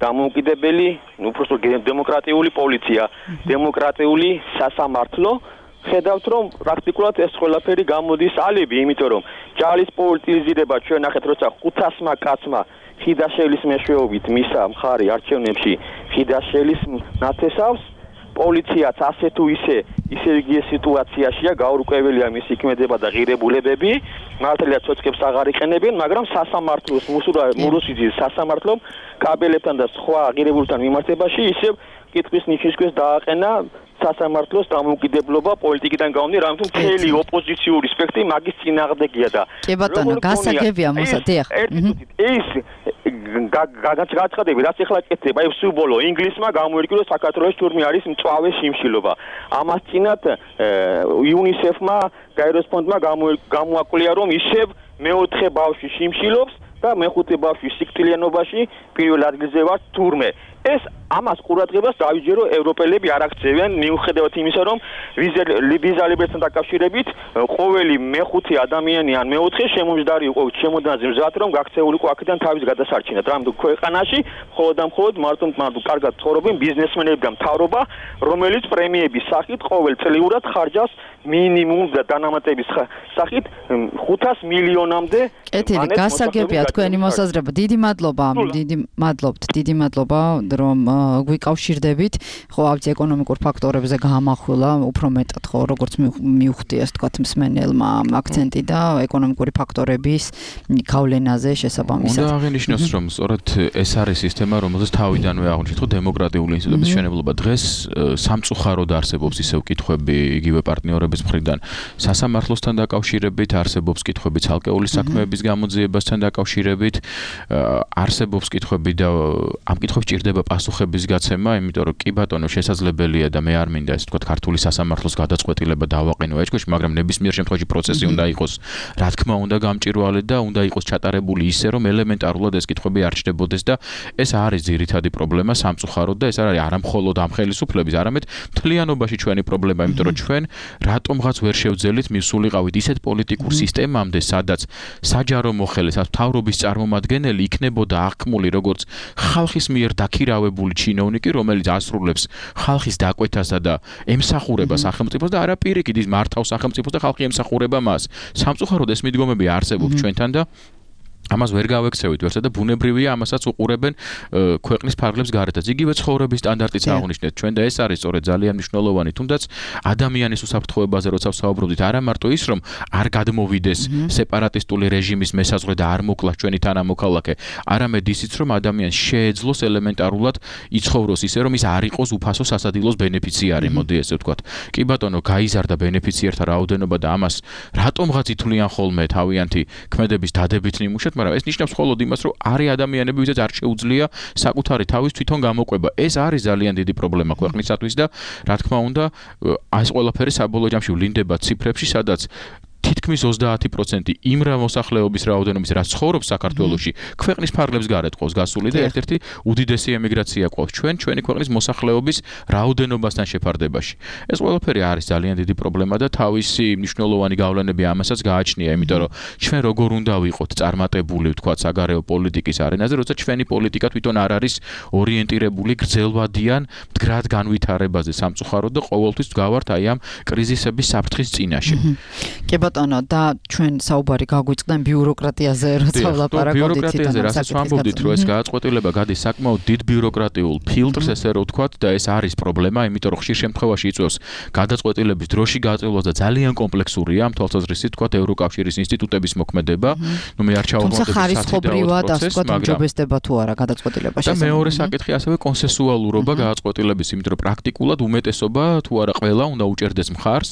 გამოუკიდებელი უბრალოდ დემოკრატიული პოლიცია, დემოკრატიული სასამართლო ხედავთ რომ პრაქტიკულად ეს ყველაფერი გამოდის ალიბი, იმიტომ რომ ჯალის პოლიტიზირება ჩვენ ნახეთ როცა ხუთასმა კაცმა ხიდაშელის მეშვეობით მისა მხარი არჩევნებში ხიდაშელის ნათესავს, პოლიციაც ასე თუ ისე ისე იგივე სიტუაციაშია, გაურკვეველია მისი ქმედება და ღირებულებები, მართალია ცოცხებს აღარ იყენებენ, მაგრამ სასამართლოს მურუსიძის სასამართლომ კაბელებთან და სხვა ღირებულებთან მიმართებაში ისევ კითხვის ნიშნისქვეს დააყენა სასამართლოს დამოუკიდებლობა პოლიტიკიდან გამომდინარე, რამე თუ მთელი ოპოზიციური სპექტრი მაგის წინააღმდეგია და კი ბატონო, გასაგებია მოსა, დიახ. ეს გაცხადები, რაც ახლა კეთდება, ეს სუბოლო ინგლისმა გამოერკინა საქართველოს თურმე არის მწვავე შიმშილობა. ამას წინათ იუნისეფმა, გაეროს ფონდმა გამოაკვლინა, რომ ისევ მეოთხე ბავშვი შიმშილობს და მეხუთე ბავშვი სიკვდილიანობაში პირველ ადგილზე ვარ თურმე. ეს ამას ყურადღებას დაიჯერო ევროპელები არ აქცევენ, მიუხედავად იმისა, რომ ვიზა ლიბრესთან დაკავშირებით ყოველი მეხუთე ადამიანი ან მეოთხე შემომჯდარი იყო შემოდანაზე მზად, რომ გაქცეული იყო აქედან თავის გადასარჩენად. რამე ქვეყანაში მხოლოდ და მხოლოდ მარტო მარტო კარგად ცხოვრობენ ბიზნესმენები და მთავრობა, რომელიც პრემიების სახით ყოველწლიურად ხარჯავს მინიმუმ და დანამატების სახით ხუთას მილიონამდე. კეთილი, გასაგებია თქვენი მოსაზრება. დიდი მადლობა, დიდი მადლობთ, დიდი მადლობა რომ გვიკავშირდებით. ხო, ავთი ეკონომიკურ ფაქტორებზე გამახვილა, უფრო მეტად ხო, როგორც მიუხვდი ასე თქვათ მსმენელმა აქცენტი და ეკონომიკური ფაქტორების გავლენაზე შესაბამისად. უნდა აღინიშნოს, რომ სწორედ ეს არის სისტემა, რომელზეც თავიდანვე აღნიშნეთ, რომ დემოკრატიული ინსტიტუტების მშენებლობა დღეს სამწუხაროდ არსებობს ისევ კითხვები იგივე პარტნიორების მხრიდან სასამართლოსთან დაკავშირებით, არსებობს კითხვები ცალკეული საქმეების გამოძიებასთან დაკავშირებით, არსებობს კითხვები და ამ კითხვებს ჭირდება პასუხების გაცემა, იმიტომ რომ კი ბატონო შესაძლებელია და მე არ მინდა ესე ვთქვათ ქართული სასამართლოს გადაწყვეტილება დავაყენო ეჭქვეშ, მაგრამ ნებისმიერ შემთხვევაში პროცესი უნდა იყოს, რა თქმა უნდა, გამჭვირვალე და უნდა იყოს ჩატარებული ისე, რომ ელემენტარულად ეს კითხვები არ ჩნდებოდეს და ეს არის ძირითადი პრობლემა სამწუხაროდ და ეს არ არის არა მხოლოდ ამ ხელისუფლების, არამედ მთლიანობაში ჩვენი პრობლემა, იმიტომ რომ ჩვენ რატომღაც ვერ შევძელით მისულიყავით ისეთ პოლიტიკურ სისტემამდე, სადაც საჯარო მოხელე, სადაც მთავრობის წარმომადგენელი იქნებოდა აღქმული როგორც ხალხის მიერ დაქირავებული ჩინოვნიკი, რომელიც ასრულებს ხალხის დაკვეთასა და ემსახურება სახელმწიფოს და არა პირიქით ის მართავს სახელმწიფოს და ხალხი ემსახურება მას. სამწუხაროდ ეს მიდგომები არსებობს ჩვენთან და ამას ვერ გავექცევით ვერცა და ბუნებრივია ამასაც უყურებენ ქვეყნის ფარგლებს გარეთაც. იგივე ცხოვრების სტანდარტიც აღნიშნეთ ჩვენ და ეს არის სწორედ ძალიან მნიშვნელოვანი, თუნდაც ადამიანის უსაფრთხოებაზე როცა ვსაუბრობდით, არა მარტო ის რომ არ გადმოვიდეს სეპარატისტული რეჟიმის მესაზღვრე და არ მოკლას ჩვენი თანამოქალაქე, არამედ ისიც რომ ადამიანს შეეძლოს ელემენტარულად იცხოვროს ისე რომ ის არ იყოს უფასო სასადილოს ბენეფიციარი, მოდი ესე ვთქვათ. კი ბატონო, გაიზარდა ბენეფიციერთა რაოდენობა და ამას რატომღაც ითვლიან ხოლმე თავიანთი ქმედების დადებით ნიმუშად, მაგრამ ეს ნიშნავს მხოლოდ იმას, რომ არის ადამიანები, ვისაც არ შეუძლია საკუთარი თავის თვითონ გამოყვება. ეს არის ძალიან დიდი პრობლემა ქვეყნისათვის და რა თქმა უნდა, ეს ყველაფერი საბოლოო ჯამში ვლინდება ციფრებში, სადაც თითქმის ოცდაათი პროცენტი იმ მოსახლეობის რაოდენობის, რაც ცხოვრობს საქართველოში, ქვეყნის ფარგლებს გარეთ ყავს გასული და ერთ-ერთი უდიდესი ემიგრაცია ყავს ჩვენ ჩვენი ქვეყნის მოსახლეობის რაოდენობასთან შეფარდებაში. ეს ყველაფერი არის ძალიან დიდი პრობლემა და თავისი მნიშვნელოვანი გავლენები ამასაც გააჩნია, იმიტომ რომ ჩვენ როგორ უნდა ვიყოთ წარმატებული, ვთქვათ, საგარეო პოლიტიკის არენაზე, როცა ჩვენი პოლიტიკა თვითონ არ არის ორიენტირებული გრძელვადიან მდგრად განვითარებაზე სამწუხაროდ და ყოველთვის ვგავართ აი ამ კრიზისების საფრთხის წინაშე. ბატონო და ჩვენ საუბარი გაგვიწყდა ბიუროკრატიაზე, როცა ვლაპარაკობდით. ბიუროკრატიაზე რასაც ვამბობდით, რომ ეს გააწყობილება გადის საკმაოდ დიდ ბიუროკრატიულ ფილტრს, ესე რომ ვთქვათ, და ეს არის პრობლემა, იმიტომ რომ ხშირ შემთხვევაში იწვევს გადაწყვეტილების დროში გაწილვას და ძალიან კომპლექსურია ამ თვალსაზრისით, ვთქვათ, ევროკავშირის ინსტიტუტების მოქმედება. ნუ მე არ ჩავაღმავდები ხარისხობრივად, ასე ვთქვათ, უმჯობესდება თუ არა გადაწყვეტილება შესაძლოა. და მეორე საკითხი ასევე კონსენსუალურობა გააწყვეტილების, იმიტომ რომ პრაქტიკულად უმეტესობა თუ არა ყველა უნდა უჭერდეს მხარს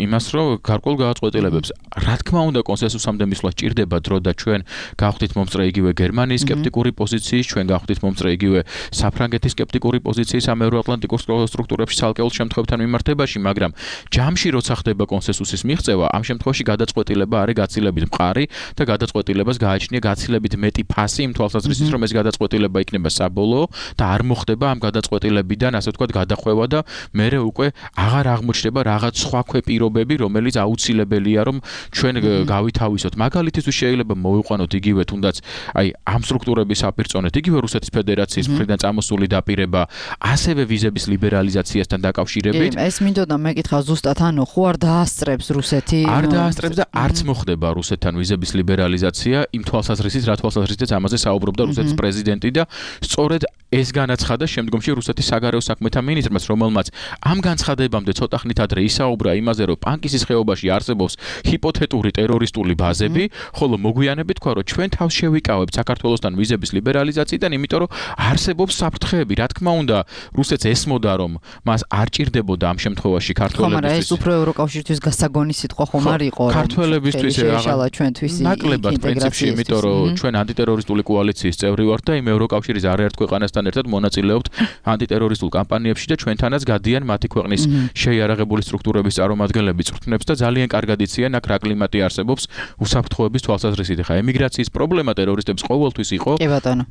იმას, რომ გარკვეულ გადაწყვეტილებებს რა თქმა უნდა კონსენსუსამდე მისვლა ჭირდება დრო და ჩვენ გავხდით მომწრე იგივე გერმანიის სკეპტიკური პოზიციის, ჩვენ გავხდით მომწრე იგივე საფრანგეთის სკეპტიკური პოზიციის ამ ევროატლანტიკურ სტრუქტურებში ცალკეულ შემთხვევებთან მიმართებაში, მაგრამ ჯამში როცა ხდება კონსენსუსის მიღწევა, ამ შემთხვევაში გადაწყვეტილება არის გაცილებით მყარი და გადაწყვეტილებას გააჩნია გაცილებით მეტი ფასი იმ თვალსაზრისით, რომ ეს გადაწყვეტილება იქნება საბოლოო და არ მოხდება ამ გადაწყვეტილებიდან, ასე ვთქვათ, გადახვევა და მერე უკვე აღარ აღმოჩნდება რაღაც სხვა ქვეპირობები, რომელიც აუცილებელია რომ ჩვენ გავითავისოთ. მაგალითისთვის შეიძლება მოვიყვანოთ იგივე თუნდაც აი ამ სტრუქტურების საპირწონეთ იგივე რუსეთის ფედერაციის მხრიდან წამოსული დაპირება, ასევე ვიზების ლიბერალიზაციასთან დაკავშირებით. ეს მინდოდა მეკითხა ზუსტად, ანუ ხო არ დაასწრებს რუსეთი? არ დაასწრებს და არც მოხდება რუსეთთან ვიზების ლიბერალიზაცია იმ თვალსაზრისით, რა თვალსაზრისით ამაზე საუბრობდა რუსეთის პრეზიდენტი და სწორედ ეს განაცხადა შემდგომში რუსეთის საგარეო საქმეთა მინისტრმაც, რომელმაც ამ განცხადებამდე ცოტა ხნით ადრე ისაუბრა იმაზე, რომ პანკისის ხეობაში არსებობს ჰიპოთეტური ტერორისტული ბაზები, ხოლო მოგვიანებით თქვა, რომ ჩვენ თავს შევიკავებთ საქართველოსთან ვიზების ლიბერალიზაციიდან, იმიტომ რომ არსებობს საფრთხეები. რა თქმა უნდა, რუსეთს ესმოდა, რომ მას არ ჭირდებოდა ამ შემთხვევაში ქართველებისთვის. მაგრამ ეს უფრო ევროკავშირისთვის გასაგონი სიტყვა ხომ არ იყო, რომ ქართველებისთვის შეეშალა ჩვენთვის ნაკლებად პრინციპში, იმიტომ რომ ჩვენ ანტიტერორისტული კოალიციის წევრი ვართ და იმ ევროკავშირის არაერთ ქვეყანასთან ერთად მონაწილეობთ ანტიტერორისტულ კამპანიებში და ჩვენთანაც გადიან მათი ქვეყნის შეიარაღებული სტრუქტურების წარმომადგენლები წვრთნებს და ძალიან კარგად იციან აქ რა კლიმატი არსებობს უსაფრთხოების თვალსაზრისით. ხა ემიგრაციის პრობლემა ტერორისტებს ყოველთვის იყო. კი ბატონო.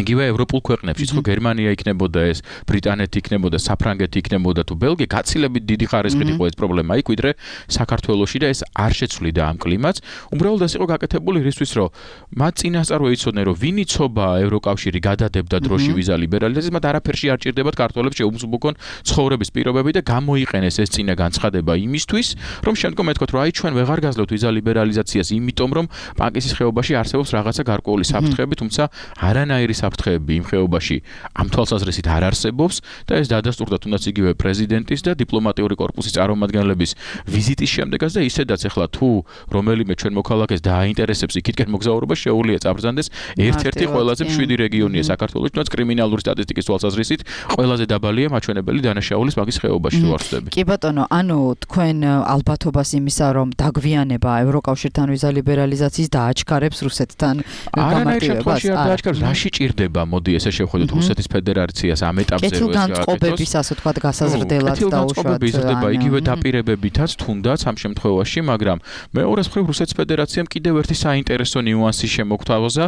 იგივე ევროპულ ქვეყნებში, ხო გერმანია იქნებოდა ეს, ბრიტანეთი იქნებოდა, საფრანგეთი იქნებოდა თუ ბელგია, გაცილებით დიდი ხარისხით იყო ეს პრობლემა იქ, ვიდრე საქართველოში და ეს არ შეცვლიდა ამ კლიმატს. უბრალოდ ეს იყო გაკეთებული რისთვის, რომ მათ წინასწარ ეცოდნენ, რომ ვინ იცობა ევროკავშირი გადადებდა დროში ვიზა ლიბერალიზაციას, მათ არაფერში არ ჭირდებათ ქართველებს შეუმსუბუქონ ცხოვრების პირობები და გამოიყენეს ეს წინა განცხადება იმისთვის, რომ შემდგომ ეთქვათ, რომ აი ჩვენ ვეღარ გაძლევთ ვიზა ლიბერალიზაციას, იმიტომ რომ პანკისის ხეობაში არსებობს რაღაცა გარკვეული საფრთხეები, თუმცა არანაირი საფრთხეები იმ ხეობაში ამ თვალსაზრისით არ არსებობს და ეს დადასტურდა თუნდაც იგივე პრეზიდენტის და დიპლომატიური კორპუსის წარმომადგენლების ვიზიტის შემდეგაც და ისედაც ახლა თუ რომელიმე ჩვენ მოქალაქეს დააინტერესებს იქითკენ მოგზაურობა, შეუძლია წაბრძანდეს ერთ-ერთი ყველაზე მშვიდი რეგიონია საქართველოს, თუნდაც კრიმინალური სტატისტიკის თვალსაზრისით ყველაზე დაბალია მაჩვენებელი დანაშაულის მაგის ხეობაში თუ არ ვწდები. კი ბატონო, ანუ თქვენ ალბათობას იმისა, რომ დაგვიანება ევროკავშირთან ვიზა ლიბერალიზაციის დააჩქარებს რუსეთთან გამარტივებას არ დააჩქარებს, რაში ჭირდება, მოდი ესე შევხედოთ რუსეთის ფედერაციას ამ ეტაპზე ეს კეთილგანწყობების ასე ვთქვათ გასაზრდელად და უშუალოდ იზრდება იგივე დაპირებებითაც თუნდაც ამ შემთხვევაში, მაგრამ მეორეს მხრივ რუსეთის ფედერაციამ კიდევ ერთი საინტერესო ნიუანსი შემოგთავაზა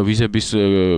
ვიზების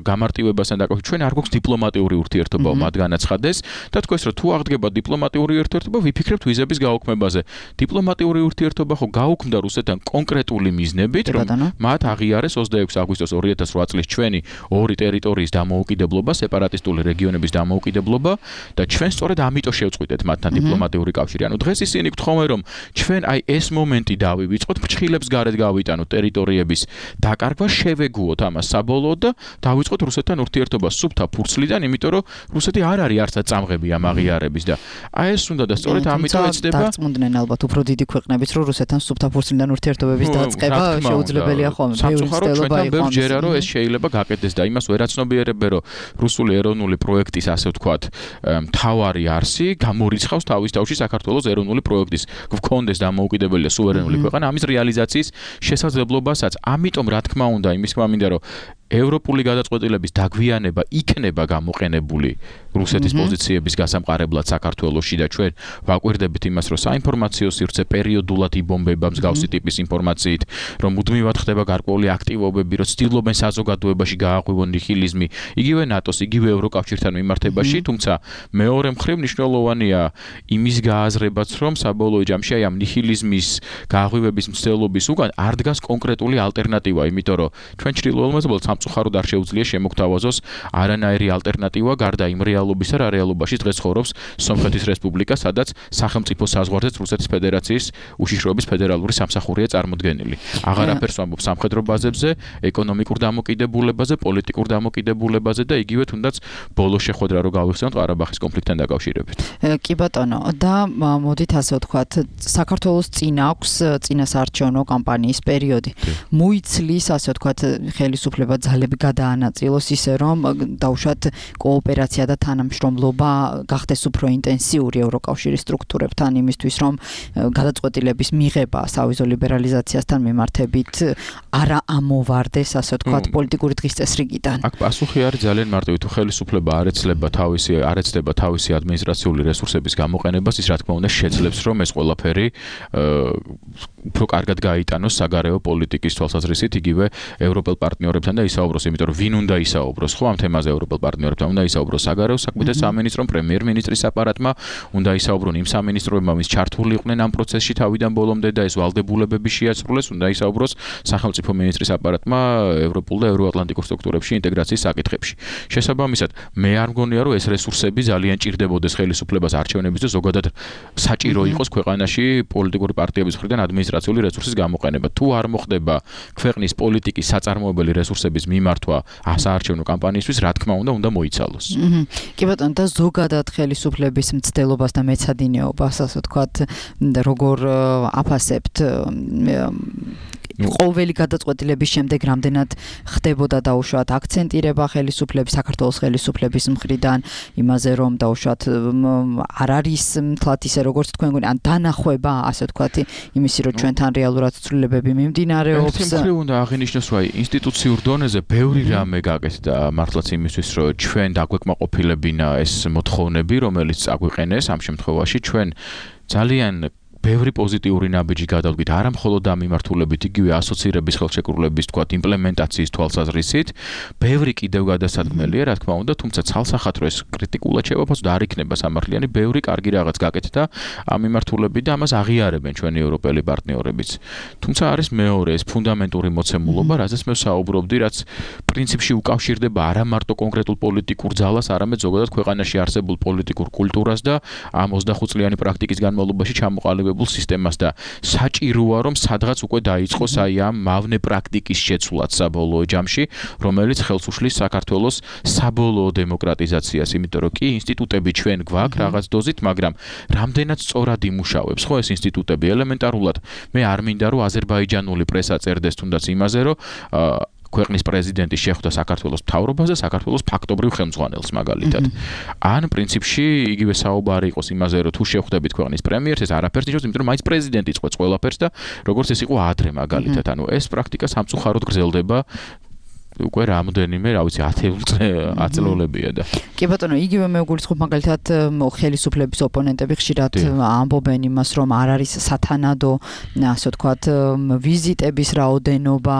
გამარტივებასთან დაკავშირებით. ჩვენ არ გვაქვს დიპლომატიური ურთიერთობა მათ განაცხადეს და თქვეს რომ თუ აღდგება დიპლომატიური ურთიერთობა ვიფიქრებთ ვიზების გაუქმებაზე. დიპლომატიური ურთიერთობა ხო გაუქმდა რუსეთთან კონკრეტული მიზნებით რომ მათ აღიარეს ოცდაექვსი აგვისტოს ორი ათას ოთხ წლის ჩვენი ორი ტერიტორიის დამოუკიდებლობა, სეპარატისტული რეგიონების დამოუკიდებლობა და ჩვენ სწორედ ამიტომ შევწყვიტეთ მათთან დიპლომატიური კავშირი. ანუ დღეს ისინი გთხოვენ რომ ჩვენ აი ეს მომენტი დავივიწყოთ, ფრჩხილებს გარეთ გავიტანოთ ტერიტორიების დაკარგვა, შევეგუოთ ამას საბოლოოდ და დავიწყოთ რუსეთთან ურთიერთობა სუფთა ფურცლიდან, იმიტომ რომ რუსეთი არ არის არცად წამღები ამ აღიარების და აი ეს უნდა და სწორედ ამიტომ ეცდება დარწმუნდნენ ალბათ უფრო დიდი ქვეყნებიც რომ რუსეთთან სუფთა ფურცლიდან ურთიერთობების დაწყება შეუძლებელია ხოლმე. სამწუხაროდ ჩვენთან ჯერა რომ ეს შეიძლება გაკეთდეს და იმას ვერ აცნობიერებენ რომ რუსული ეროვნული პროექტის ასე ვთქვათ მთავარი არსი გამორიცხავს თავის თავში საქართველოს ეროვნული პროექტის გქონდეს დამოუკიდებელი და სუვერენული ქვეყანა ამის რეალიზაციის შესაძლებლობასაც. ამიტომ რა თქმა უნდა იმის თქმა მინდა რომ ევროპული გადაწყვეტილების დაგვიანება იქნება გამოყენებული რუსეთის პოზიციების გასამყარებლად საქართველოში და ჩვენ ვაკვირდებით იმას რომ საინფორმაციო სივრცე პერიოდულად იბომბება მსგავსი ტიპის ინფორმაციით, რომ მუდმივად ხდება გარკვეული აქტივობები, რომ ცდილობენ საზოგადოებაში გააღვივონ ნიჰილიზმი, იგივე ნატოს, იგივე ევროკავშირთან მიმართებაში, თუმცა მეორე მხრივ მნიშვნელოვანია იმის გააზრებაც, რომ საბოლოო ჯამში აი ამ ნიჰილიზმის გააღვივების მცდელობის უკან არ დგას კონკრეტული ალტერნატივა, იმიტომ რომ ჩვენ ჩრდილოელმეზობელს სამწუხაროდ არ შეუძლია შემოგთავაზოს არანაირი ალტერნატივა გარდა იმ რეალობისა რა რეალობაში დღეს ცხოვრობს სომხეთის რესპუბლიკა, სადაც სახელმწიფო საზღვარზეც რუსეთის ფედერაციის უშიშროების ფედერალური სამსახურია წარმოდგენილი. აღარ აფერს ვამბობ სამხედრო ბაზებზე, ეკონომიკურ დამოკიდებულებაზე, პოლიტიკურ დამოკიდებულებაზე და იგივე თუნდაც ბოლო შეხვედრა რო გავიხსენოთ ყარაბაღის კონფლიქტთან დაკავშირებით. კი ბატონო, და მოდით ასე ვთქვათ, საქართველოს წინ აქვს წინასაარჩევნო კამპანიის პერიოდი. მოიცლის ასე ვთქვათ ხელისუფლება ძალები გადაანაწილოს ისე რომ დაუშვათ კოოპერაცია და თანამშრომლობა გახდეს უფრო ინტენსიური ევროკავშირის სტრუქტურებთან იმისთვის რომ გადაწყვეტილების მიღება სავიზო ლიბერალიზაციასთან მიმართებით არა ამოვარდეს ასე ვთქვათ პოლიტიკური დღის წესრიგიდან. აქ პასუხი არის ძალიან მარტივი. თუ ხელისუფლება არ ეცლება თავისი არ ეცდება თავისი ადმინისტრაციული რესურსების გამოყენებას, ის რა თქმა უნდა შეძლებს რომ ეს ყველაფერი უფრო კარგად გაიტანოს საგარეო პოლიტიკის თვალსაზრისით იგივე ევროპელ პარტნიორებთან და ისაუბროს, იმიტომ რომ ვინ უნდა ისაუბროს, ხო ამ თემაზე ევროპელ პარტნიორებთან უნდა ისაუბროს საგარეო საქმეთა სამინისტრომ, პრემიერ-მინისტრის აპარატმა, უნდა ისაუბრონ იმ სამინისტროებმა, ვინც ჩართული იყვნენ ამ პროცესში თავიდან ბოლომდე და ეს ვალდებულებები შეასრულეს, უნდა ისაუბროს სახელმწიფო მინისტრის აპარატმა ევროპულ და ევროატლანტიკურ სტრუქტურებში ინტეგრაციის საკითხებში. შესაბამისად, მე არ მგონია რომ ეს რესურსები ძალიან ჭირდებოდეს ხელისუფლებას არჩევნების და ზოგადად საჭირო იყოს ქვეყანაში პოლიტიკური პარტიების მხრიდან ადმინისტრაციული რესურსის გამოყენება. თუ არ მოხდება ქვეყნის პოლიტიკის საწარმოებელი რესურსების მიმართვა საარჩევნო კამპანიისთვის, რა თქმა უნდა, უნდა მოიცალოს. კი ბატონო, და ზოგადად ხელისუფლების მცდელობას და მეცადინეობას, ასე ვთქვათ, როგორ აფასებთ ყოველი გადაწყვეტილების შემდეგ რამდენად ხდებოდა დაუშვათ აქცენტირება ხელისუფლების, საქართველოს ხელისუფლების მხრიდან იმაზე, რომ დაუშვათ არ არის თლათ ისე როგორც თქვენ გონი, ან დანახვება, ასე ვთქვათ, იმისი, რომ ჩვენთან რეალურად ცვლილებები მიმდინარეობს. ერთ მხრივ უნდა აღინიშნოს, რომ ინსტიტუციურ დონეზე ბევრი რამე გაკეთდა მართლაც იმისთვის, რომ ჩვენ დაგვეკმაყოფილებინა ეს მოთხოვნები, რომელიც აგვიყენეს ამ შემთხვევაში ჩვენ ძალიან ბევრი პოზიტიური ნაბიჯი გადავდგით არა მხოლოდ ამ მიმართულებით, იგივე ასოცირების ხელშეკრულების თქვათ იმპლემენტაციის თვალსაზრისით, ბევრი კიდევ გადასადგმელია, რა თქმა უნდა, თუმცა ცალსახად რო ეს კრიტიკულად შევაფასოთ და არ იქნება სამართლიანი, ბევრი კარგი რაღაც გაკეთდა ამ მიმართულებით და ამას აღიარებენ ჩვენი ევროპელი პარტნიორებიც. თუმცა არის მეორე ეს ფუნდამენტური მოცემულობა, რაზეც მე ვსაუბრობდი, რაც პრინციპში უკავშირდება არა მარტო კონკრეტულ პოლიტიკურ ძალას, არამედ ზოგადად ქვეყანაში არსებულ პოლიტიკურ კულტურას და ამ ოცდახუთ წლიანი პრაქტიკის განმავლობაში ჩამოყალიბებულ სისტემას და საჭიროა რომ სადღაც უკვე დაიწყოს აი ამ მავნე პრაქტიკის შეცვლაც საბოლოო ჯამში, რომელიც ხელს უშლის საქართველოს საბოლოო დემოკრატიზაციას, იმიტომ რომ კი ინსტიტუტები ჩვენ გვაქვს რაღაც დოზით, მაგრამ რამდენად სწორად იმუშავებს ხო ეს ინსტიტუტები ელემენტარულად. მე არ მინდა რომ აზერბაიჯანული პრესა წერდეს თუნდაც იმაზე, რომ ქვეყნის პრეზიდენტი შეხვდა საქართველოს მთავრობას და საქართველოს ფაქტობრივ ხელმძღვანელს მაგალითად. ან პრინციპში იგივე საუბარი იყოს იმაზე, რომ თუ შეხვდებით ქვეყნის პრემიერს, ეს არაფერს ნიშნავს, იმიტომ რომ მაინც პრეზიდენტი წყვეტს ყველაფერს და როგორც ეს იყო ადრე მაგალითად. ანუ ეს პრაქტიკა სამწუხაროდ გრძელდება უკვე რამოდენიმე, რა ვიცი, ათი წლოლებია და. კი ბატონო, იგივე მე ვგულისხმობ მაგალითად ხელისუფლების ოპონენტები ხშირად ამბობენ იმას, რომ არ არის სათანადო, ასე ვთქვათ, ვიზიტების რაოდენობა,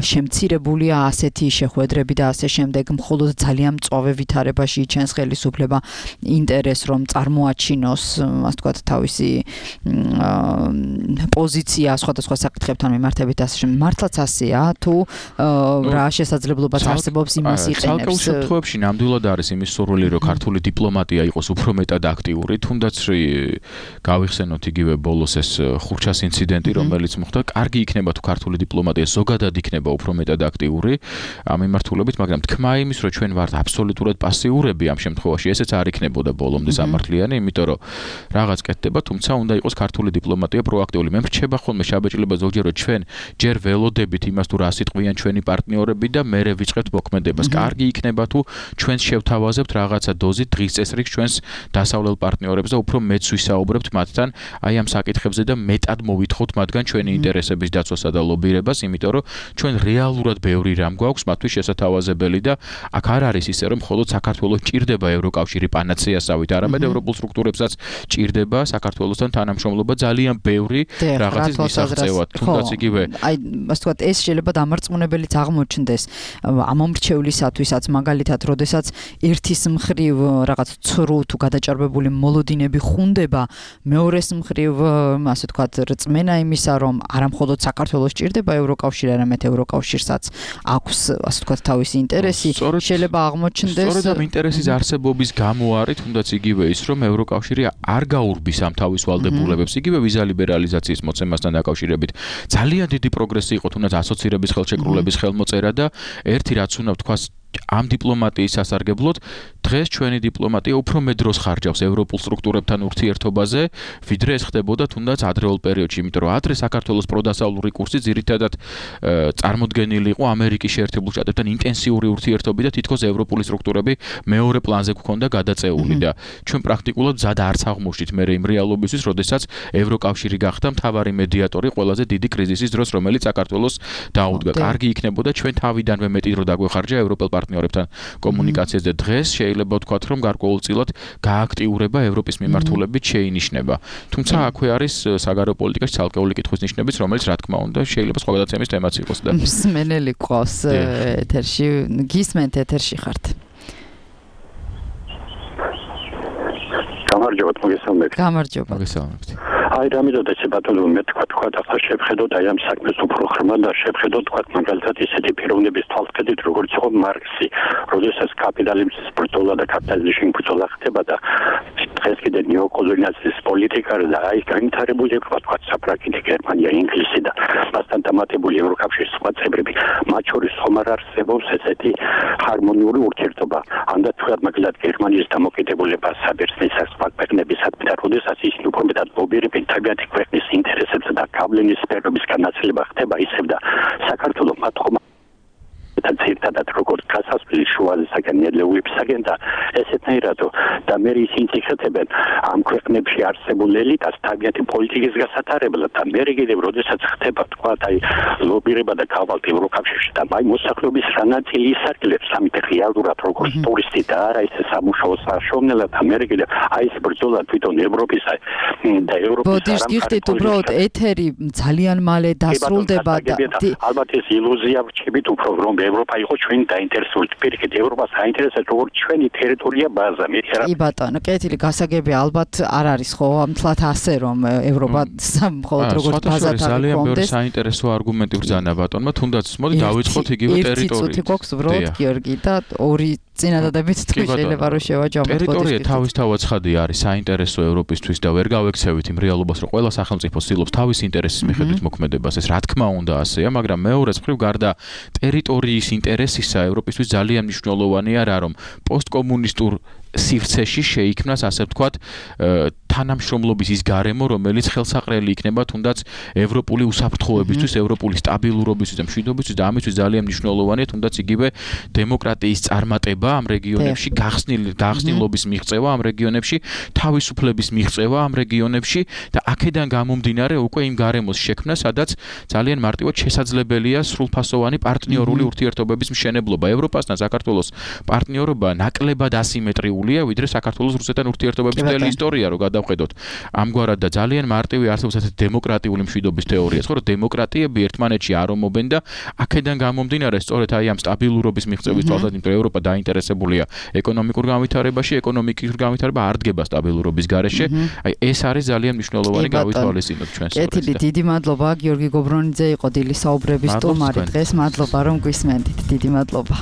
შემცირებულია ასეთი შეხვედრები და ასე შემდეგ, მხოლოდ ძალიან მწვავე ვითარებაში იჩენს ხელისუფლება ინტერესს, რომ წარმოაჩინოს, ასე ვთქვათ, თავისი პოზიცია სხვადასხვა საკითხებთან მიმართებით ასე შემდეგ. მართლაც ასეა თუ რა შესაძლებლობაც არსებობს იმას იყენებს. ცალკეულ შემთხვევებში ნამდვილად არის იმის სურვილი, რომ ქართული დიპლომატია იყოს უფრო მეტად აქტიური, თუნდაც გავიხსენოთ იგივე ბოლოს ეს ხურჩას ინციდენტი, რომელიც მოხდა, კარგი იქნება თუ ქართული დიპლომატია ზოგადად იქნება უფრო მეტად აქტიური ამ მიმართულებით, მაგრამ თქმა იმის, რომ ჩვენ ვართ აბსოლუტურად პასიურები ამ შემთხვევაში, ესეც არ იქნებოდა ბოლომდე სამართლიანი, იმიტომ რომ რაღაც კეთდება, თუმცა უნდა იყოს ქართული დიპლომატია პროაქტიული. მე მრჩება ხოლმე შაბეჭდილება ზოგჯერ რომ ჩვენ ჯერ ველოდებით იმას თუ რა სიტყვიან ჩვენი პარტნიორები და მერე ვიწყებთ მოქმედებას. კარგი იქნება თუ ჩვენს შევთავაზებთ რაღაცა დოზით დღის წესრიგს ჩვენს დასავლელ პარტნიორებს და უფრო მეც ვისაუბრებთ მათთან აი ამ საკითხებზე და მეტად მოვითხოვთ მათგან ჩვენი ინტერესების დაცვასა და ლობირებას, იმიტომ რომ ჩვენ რეალურად ბევრი რამ გვაქვს მათთვის შესათავაზებელი და აქ არ არის ისე რომ მხოლოდ საქართველოს ჭირდება ევროკავშირი პანაცეასავით, არამედ ევროპულ სტრუქტურებსაც ჭირდება საქართველოსთან თანამშრომლობა ძალიან ბევრი რაღაცის მისაღწევად. თუნდაც იგივე აი ასე ვთქვათ, ეს შეიძლება დამარწმუნებელიც აღმოჩნდეს ამომრჩევლისათვისაც, მაგალითად, როდესაც ერთის მხრივ რაღაც ცრუ თუ გადაჭარბებული მოლოდინები ხუნდება, მეორეს მხრივ ასე ვთქვათ, რწმენა იმისა, რომ არამხოლოდ საქართველოს ჭირდება ევროკავშირი, არამედ ევროკავშირსაც აქვს ასე ვთქვათ თავისი ინტერესი, შეიძლება აღმოჩნდეს. სწორედ ამ ინტერესის არსებობის გამო არის თუნდაც იგივე ის, რომ ევროკავშირი არ გაურბის ამ თავის ვალდებულებებს, იგივე ვიზა ლიბერალიზაციის მოცემასთან დაკავშირებით. ძალიან დიდი პროგრესი იყო თუნდაც ასოცირების ხელშეკრულების ხელმოწერა და ერთი რაც უნდა ვთქვას ამ დიპლომატიის სასარგებლოდ დღეს ჩვენი დიპლომატია უფრო მეტ დროს ხარჯავს ევროპულ სტრუქტურებთან ურთიერთობაზე, ვიდრე ეს ხდებოდა თუნდაც ადრეულ პერიოდში, იმიტომ რომ ადრე საქართველოს პროდასავლური კურსი ძირითადად წარმოდგენილი იყო ამერიკის შეერთებულ შტატებთან ინტენსიური ურთიერთობით და თითქოს ევროპული სტრუქტურები მეორე პლანზე გქონდა გადაწეული და ჩვენ პრაქტიკულად ზად არც აღმოჩნდით მე იმ რეალობისთვის, როდესაც ევროკავშირი გახდა მთავარი მედიატორი ყველაზე დიდი კრიზისის დროს, რომელიც საქართველოს დაუდგა. კარგი იქნებოდა ჩვენ თავიდანვე მეტი დრო დაგვეხარჯა ევროპელ პარტნიორებთან კომუნიკაციაზე. დღეს შეიძლება ვთქვათ, რომ გარკვეულწილად გააქტიურება ევროპის მიმართულებით შეინიშნება. თუმცა აქვე არის საგარეო პოლიტიკაში ცალკეული კითხვის ნიშნებიც, რომელიც რა თქმა უნდა შეიძლება სხვა გადაცემის თემაც იყოს და მსმენელი ყავს ეთერში, გისმენთ ეთერში ხართ. გამარჯობა, მოგესალმებით. გამარჯობა. მოგესალმებით. აი რამიდოდა ბატონო, მე თქვა თქვა ახლა შევხედოთ აი ამ საქმეს უფრო ხრმა და შევხედოთ თქვა მაგალითად ისეთი პიროვნების თვალსაჩინო როგორც იყო მარქსი, როდესაც კაპიტალიზმის ბრძოლა და კაპიტალიზმის ბრძოლა ხდება და დღეს კიდე ნეოკოლონიალიზმის პოლიტიკა და აი განვითარებული თქვა თქვა საფრანგეთი, გერმანია, ინგლისი და მასთან დამატებული ევროკავშირის სხვა წევრები, მათ შორის ხომ არ არსებობს ესეთი ჰარმონიული ურთიერთობა. ამდაც თქვა მაგალითად გერმანიის დამოკიდებულება საბერძნეთის სხვა ქვეყნებისადმი და როდესაც ისინი უფრო მეტად ლობირებენ თავიანთი ქვეყნის ინტერესებს და გავლენის სფეროების განაცვლება ხდება ისევ და საქართველოს მათ ხომ და ძირთადად როგორც გასასვლელი შუაზე საგანედლეულებისაგან და ესეთნაირად და მე ისინი იხეთებენ ამ ქვეყნებში არსებულ ელიტას თავიანთი პოლიტიკის გასატარებლად და მე კიდევ როდესაც ხდება თქვა აი ლობირება და გავალთ ევროკავშირში და აი მოსახლეობის რა ნაწილი ისარგებლებს ამით რეალურად როგორც ტურისტი და არა ისე სამუშაო საშუალებლად და მე კიდევ აი ეს ბრძოლა თვითონ ევროპის და ევროპის ბოდიშ გიხდით უბრალოდ ეთერი ძალიან მალე დასრულდება და ალბათ ეს ილუზია ვჩებით უფრო რომ ევროპა იყო ჩვენი დაინტერესებული. პირიქით ევროპას აინტერესებს როგორც ჩვენი ტერიტორია ბაზა. მე რა კი ბატონო, კეთილი გასაგები ალბათ არ არის ხო ამთლათ ასე რომ ევროპა მხოლოდ როგორც ბაზად არ ძალიან ბევრი საინტერესო არგუმენტი ბრძანა ბატონმა, თუნდაც მოდი დავიწყოთ იგივე ტერიტორიით. ერთი წუთი გვაქვს უბრალოდ გიორგი და ორი წინადადებით თქვი შეიძლება რომ შევაჯამოთ. ტერიტორია თავისთავად ცხადია არის საინტერესო ევროპისთვის და ვერ გავექცევით იმ რეალობას, რომ ყველა სახელმწიფო ცდილობს თავის ინტერესის მიხედვით მოქმედებას. ეს რა თქმა უნდა ასეა, მაგრამ მეორე მხრივ გარდა ტერიტორიის ინტერესისა ევროპისთვის ძალიან მნიშვნელოვანია რა, რომ პოსტკომუნისტურ სივრცეში შეიქმნას ასე ვთქვათ თანამშრომლობის ის გარემო, რომელიც ხელსაყრელი იქნება თუნდაც ევროპული უსაფრთხოებისთვის, ევროპული სტაბილურობისთვის და მშვიდობისთვის და ამისთვის ძალიან მნიშვნელოვანია თუნდაც იგივე დემოკრატიის წარმატება ამ რეგიონებში, გახსნილი გახსნილობის მიღწევა ამ რეგიონებში, თავისუფლების მიღწევა ამ რეგიონებში და აქედან გამომდინარე უკვე იმ გარემოს შექმნა, სადაც ძალიან მარტივად შესაძლებელია სრულფასოვანი პარტნიორული ურთიერთობების მშენებლობა. ევროპასთან საქართველოს პარტნიორობა ნაკლებად ასიმეტრიულია, ვიდრე საქართველოს რუსეთთან ურთიერთობების მთელი ისტორია, რო გადავხედოთ. ამგვარად და ძალიან მარტივი არსებობს ასეთი დემოკრატიული მშვიდობის თეორია, ხო, რომ დემოკრატიები ერთმანეთში არ ომობენ და აქედან გამომდინარე სწორედ აი ამ სტაბილურობის მიღწევის თვალსაზრისით, იმიტომ რომ ევროპა დაინტერესებულია ეკონომიკურ განვითარებაში, ეკონომიკის განვითარება არ დგება სტაბილურობის გარეშე. აი ეს არის ძალიან მნიშვნელოვანი გავითვალისწინოთ ჩვენ სწორედ. კეთილი, დიდი მადლობა გიორგი გობრონიძე იყო დილის საუბრების სტუმარი დღეს. მადლობა რომ გვისმენთ. დიდი მადლობა.